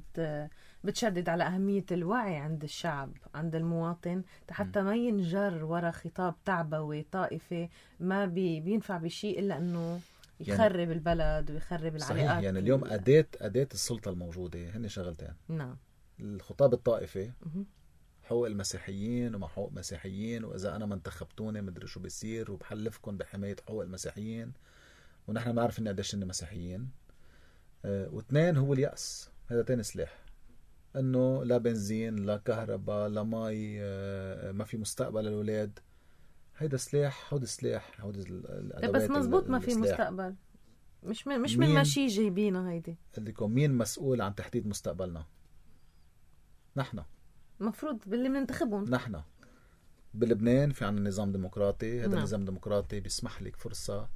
بتشدد على أهمية الوعي عند الشعب، عند المواطن، حتى ما ينجر ورا خطاب تعبوي طائفي ما بينفع بشيء إلا أنه يخرب يعني البلد ويخرب العلاقات.
يعني اليوم أداة السلطة الموجودة هن شغلتين.
نعم.
الخطاب الطائفي، حقوق المسيحيين وما حقوق مسيحيين، وإذا أنا ما انتخبتوني مدري شو بيصير، وبحلفكم بحماية حقوق المسيحيين، ونحن نعرف إن قديش إن مسيحيين. واثنين هو اليأس. هذا تاني سلاح، إنه لا بنزين لا كهرباء لا مي، ما في مستقبل للأولاد. هيدا سلاح، هودي سلاح، هودي الأدوات.
بس مزبوط ما في مستقبل. مش من ماشي جايبينها هيدي. قلتلكم
مين مسؤول عن تحديد مستقبلنا؟ نحن.
مفروض باللي بننتخبهم.
نحن بلبنان في عنا نظام ديمقراطي. هذا النظام الديمقراطي بيسمح لك فرصة،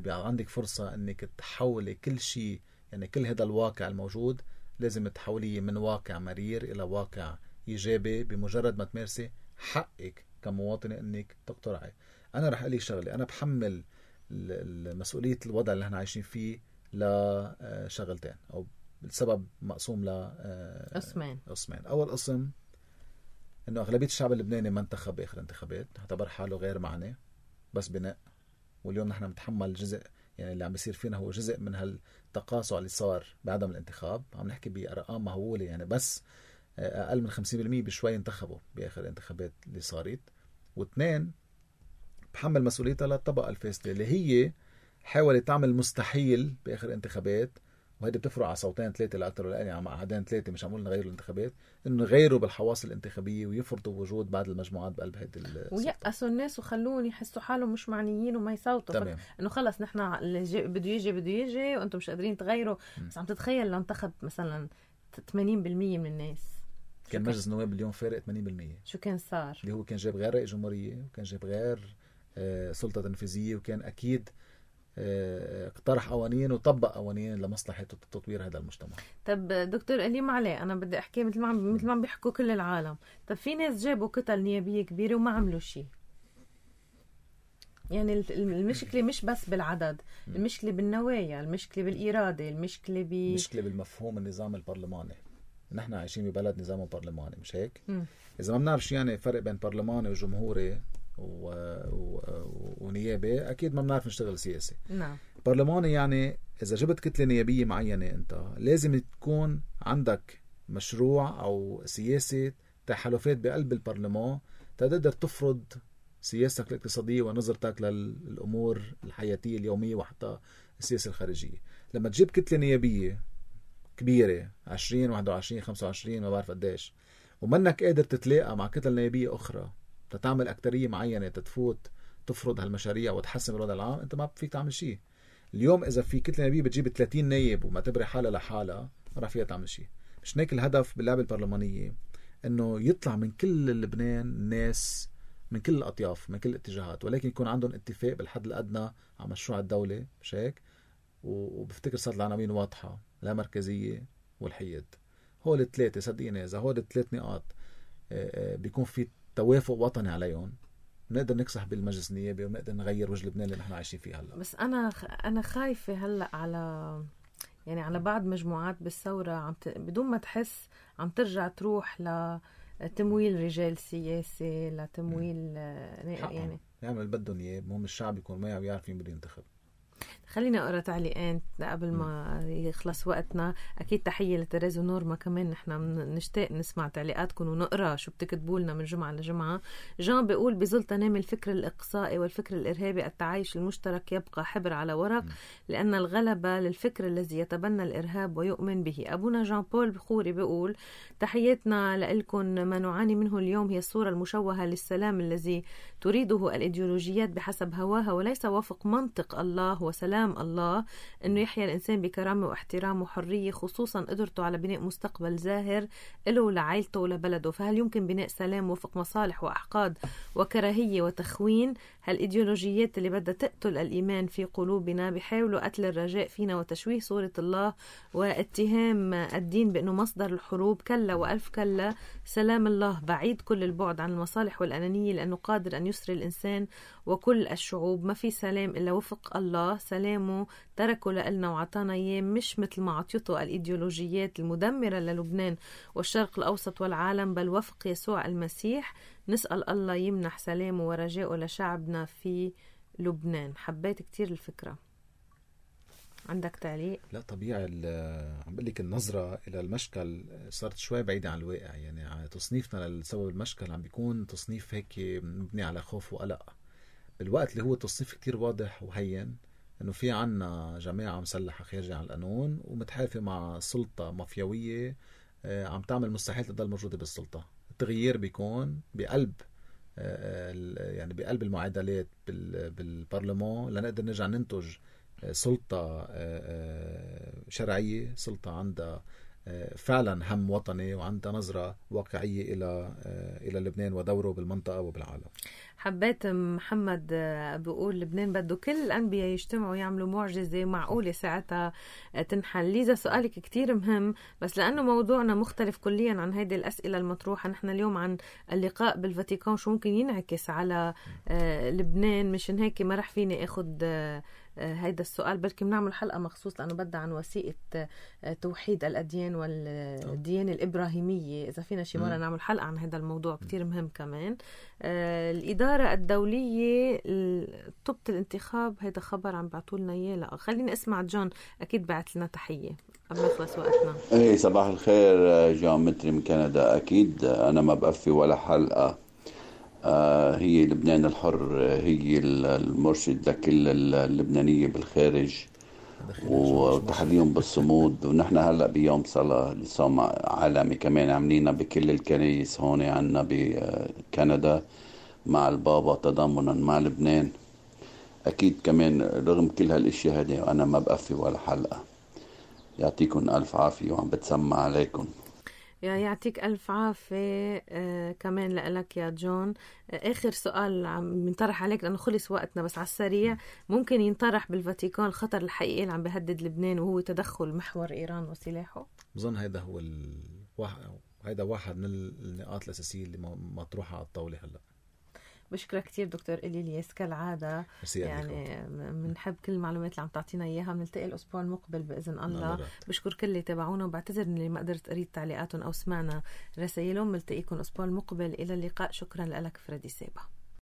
عندك فرصة انك تحولي كل شيء. يعني كل هذا الواقع الموجود لازم تحوليه من واقع مرير الى واقع ايجابي بمجرد ما تمارسي حقك كمواطنة انك تقترعي. انا رح اقول لك شغلة، انا بحمل مسؤولية الوضع اللي احنا عايشين فيه لشغلتين، او السبب مقسوم
قسمين.
اول قسم انه اغلبيه الشعب اللبناني ما انتخب باخر انتخابات، اعتبر حاله غير معني، بس بناء. واليوم نحن بنتحمل جزء، يعني اللي عم بيصير فينا هو جزء من هالتقاصع اللي صار بعدم الانتخاب. عم نحكي بارقام مهوله، يعني بس اقل من 50% بشوي انتخبوا باخر الانتخابات اللي صارت. واثنين بحمل مسؤوليتها للطبقه الفاسده اللي هي حاولت تعمل مستحيل باخر انتخابات، وهيدي بتفرق على صوتين ثلاثة لأكثر ولا أقل، يعني مع عددين ثلاثة، مش عمول نغيروا الانتخابات، إنه يغيروا بالحواس الانتخابية ويفرضوا وجود بعض المجموعات بقلب هيدي
ويأسوا الناس وخلون يحسوا حالهم مش معنيين وما يصوتوا. إنه خلص نحن اللي بده يجي وأنتم مش قادرين تغيروا. بس عم تتخيل لو انتخب مثلا 80% من الناس،
كان مجلس النواب اليوم فارق 80%.
شو كان صار؟
اللي هو كان جاب غير رئيس جمهورية، وكان جاب غير سلطة تنفيذية، وكان أكيد اقترح قوانين وطبق قوانين لمصلحة تطوير هذا المجتمع.
طب دكتور اليوم عليه أنا بدي أحكي مثل ما عم بيحكوا كل العالم. طب في ناس جابوا كتل نيابية كبيرة وما عملوا شيء. يعني المشكلة مش بس بالعدد، المشكلة بالنوايا، المشكلة بالإرادة، المشكلة
بالمفهوم النظام البرلماني. نحن عايشين ببلد نظامه برلماني، مش هيك؟ إذا ما بنعرف شو يعني فرق بين برلماني وجمهوري ونيابي، أكيد ما بنعرف نشتغل سياسي.
نعم.
برلماني يعني إذا جبت كتلة نيابية معينة، أنت لازم تكون عندك مشروع أو سياسة تحالفات بقلب البرلمان تقدر تفرض سياستك الاقتصادية ونظرتك للأمور الحياتية اليومية وحتى السياسة الخارجية. لما تجيب كتلة نيابية كبيرة 20 21 25 ما بعرف قديش، ومنك قادر تتلاقى مع كتل نيابية أخرى تتعمل أكترية معينة تتفوت تفرض هالمشاريع وتحسن الوضع العام، أنت ما فيك تعمل شيء. اليوم إذا في كتلة نيابية بتجيب 30 نايب وما تبري حالها لحالها، ما راح فيها تعمل شيء. مش هيك الهدف باللعبة البرلمانية، إنه يطلع من كل لبنان ناس من كل الأطياف من كل الاتجاهات، ولكن يكون عندهم اتفاق بالحد الأدنى على مشروع الدولة، مش هيك؟ وبفتكر صارت العناوين واضحة، لا مركزية والحياد. هول الثلاثة صدقيني إذا هول الثلاث نقاط بيكون في توافق وطني عليهم، نقدر نكسح بالمجلس النيابي ونقدر نغير وجه لبنان اللي نحن عايشين فيه هلا.
بس أنا خايفة هلا على بعض مجموعات بالثورة بدون ما تحس عم ترجع تروح لتمويل رجال سياسي، لتمويل يعني
يعمل بدهم اياه. المهم الشعب يكون معه ويعرف مين بده ينتخب.
خلينا اقرا تعليقين قبل ما يخلص وقتنا. اكيد تحيه لتريز ونورما، كمان نحن نشتاق نسمع تعليقاتكم ونقرا شو بتكتبوا لنا من جمعه لجمعه. جان بيقول بظل تنامي الفكر الاقصائي والفكر الارهابي التعايش المشترك يبقى حبر على ورق، لان الغلبه للفكر الذي يتبنى الارهاب ويؤمن به. ابونا جان بول بخوري بيقول تحياتنا لكم. ما نعاني منه اليوم هي الصوره المشوهه للسلام الذي تريده الايديولوجيات بحسب هواها وليس وفق منطق الله وسلام كلام الله أنه يحيا الإنسان بكرامة واحترام وحرية، خصوصا قدرته على بناء مستقبل زاهر له ولعائلته ولبلده. فهل يمكن بناء سلام وفق مصالح وأحقاد وكراهية وتخوين؟ هالإيديولوجيات اللي بدها تقتل الإيمان في قلوبنا بيحاولوا قتل الرجاء فينا وتشويه صورة الله واتهام الدين بأنه مصدر الحروب. كلا وألف كلا، سلام الله بعيد كل البعد عن المصالح والأنانية، لأنه قادر أن يسري الإنسان وكل الشعوب. ما في سلام إلا وفق الله، سلامه تركه لنا وعطانا إياه، مش مثل ما عطيته الإيديولوجيات المدمرة للبنان والشرق الأوسط والعالم، بل وفق يسوع المسيح. نسأل الله يمنح سلامه ورجاءه لشعبنا في لبنان. حبيت كتير الفكرة. عندك تعليق؟
لا طبيعي، عم بقول لك النظرة إلى المشكل صارت شوي بعيدة عن الواقع. يعني تصنيفنا لسبب المشكل عم بيكون تصنيف هيك مبني على خوف وقلق، بالوقت اللي هو تصنيف كتير واضح وهين إنه في عنا جماعة مسلحة خارجة عن القانون ومتحالفة مع سلطة مافيوية عم تعمل مستحيل تضل موجودة بالسلطة. التغيير بيكون بقلب يعني بقلب المعادلات بالبرلمان لنقدر نرجع ننتج سلطة شرعية، سلطة عندها فعلا هم وطني وعندها نظرة واقعية إلى لبنان ودوره بالمنطقة وبالعالم.
حبيت محمد بيقول لبنان بده كل الأنبياء يجتمعوا يعملوا معجزة معقولة ساعتها تنحل. ليزا سؤالك كتير مهم، بس لأنه موضوعنا مختلف كليا عن هذه الأسئلة المطروحة، نحن اليوم عن اللقاء بالفاتيكان شو ممكن ينعكس على لبنان، مشان هيك ما رح فيني أخد هيدا السؤال، بلكي بنعمل حلقة مخصوص لأنه بدها عن وثيقة توحيد الأديان والديانة الإبراهيمية. إذا فينا شي مرة نعمل حلقة عن هذا الموضوع كتير مهم كمان. الإدارة الدولية طبت الانتخاب، هيدا خبر عم بعتولنا إياه. لا خليني أسمع جون، أكيد بعت لنا تحية قبل ما يخلص وقتنا.
إيه صباح الخير، جون متري من كندا. أكيد أنا ما بقفي ولا حلقة. هي لبنان الحر هي المرشد لكل اللبنانية بالخارج وتحديهم بالصمود. ونحن هلأ بيوم صلاة لصوم عالمي كمان عاملينها بكل الكنايس هون عنا بكندا مع البابا تضامنا مع لبنان. أكيد كمان رغم كل هالاشياء هذه أنا ما بقفي ولا حلقة. يعطيكم ألف عافية وعم بتسمع عليكم.
يعطيك ألف عافية كمان لك يا جون. آخر سؤال عم ينطرح عليك لأنه خلص وقتنا، بس على السريع، ممكن ينطرح بالفاتيكان الخطر الحقيقي اللي عم بيهدد لبنان وهو تدخل محور إيران وسلاحه؟
بظن هذا هو هذا واحد من النقاط الأساسية اللي مطروحة على الطاولة هلأ. بشكرك كتير دكتور إلياس كالعادة. يعني بنحب كل المعلومات اللي عم تعطينا إياها. بنلتقي الأسبوع المقبل بإذن الله. بشكر كل اللي تابعونا وبعتذر اللي ما قدرت أريد تعليقاتهم أو سمعنا رسائلهم. بنلتقيكم الأسبوع المقبل. إلى اللقاء. شكرا لك فريدي سيبا.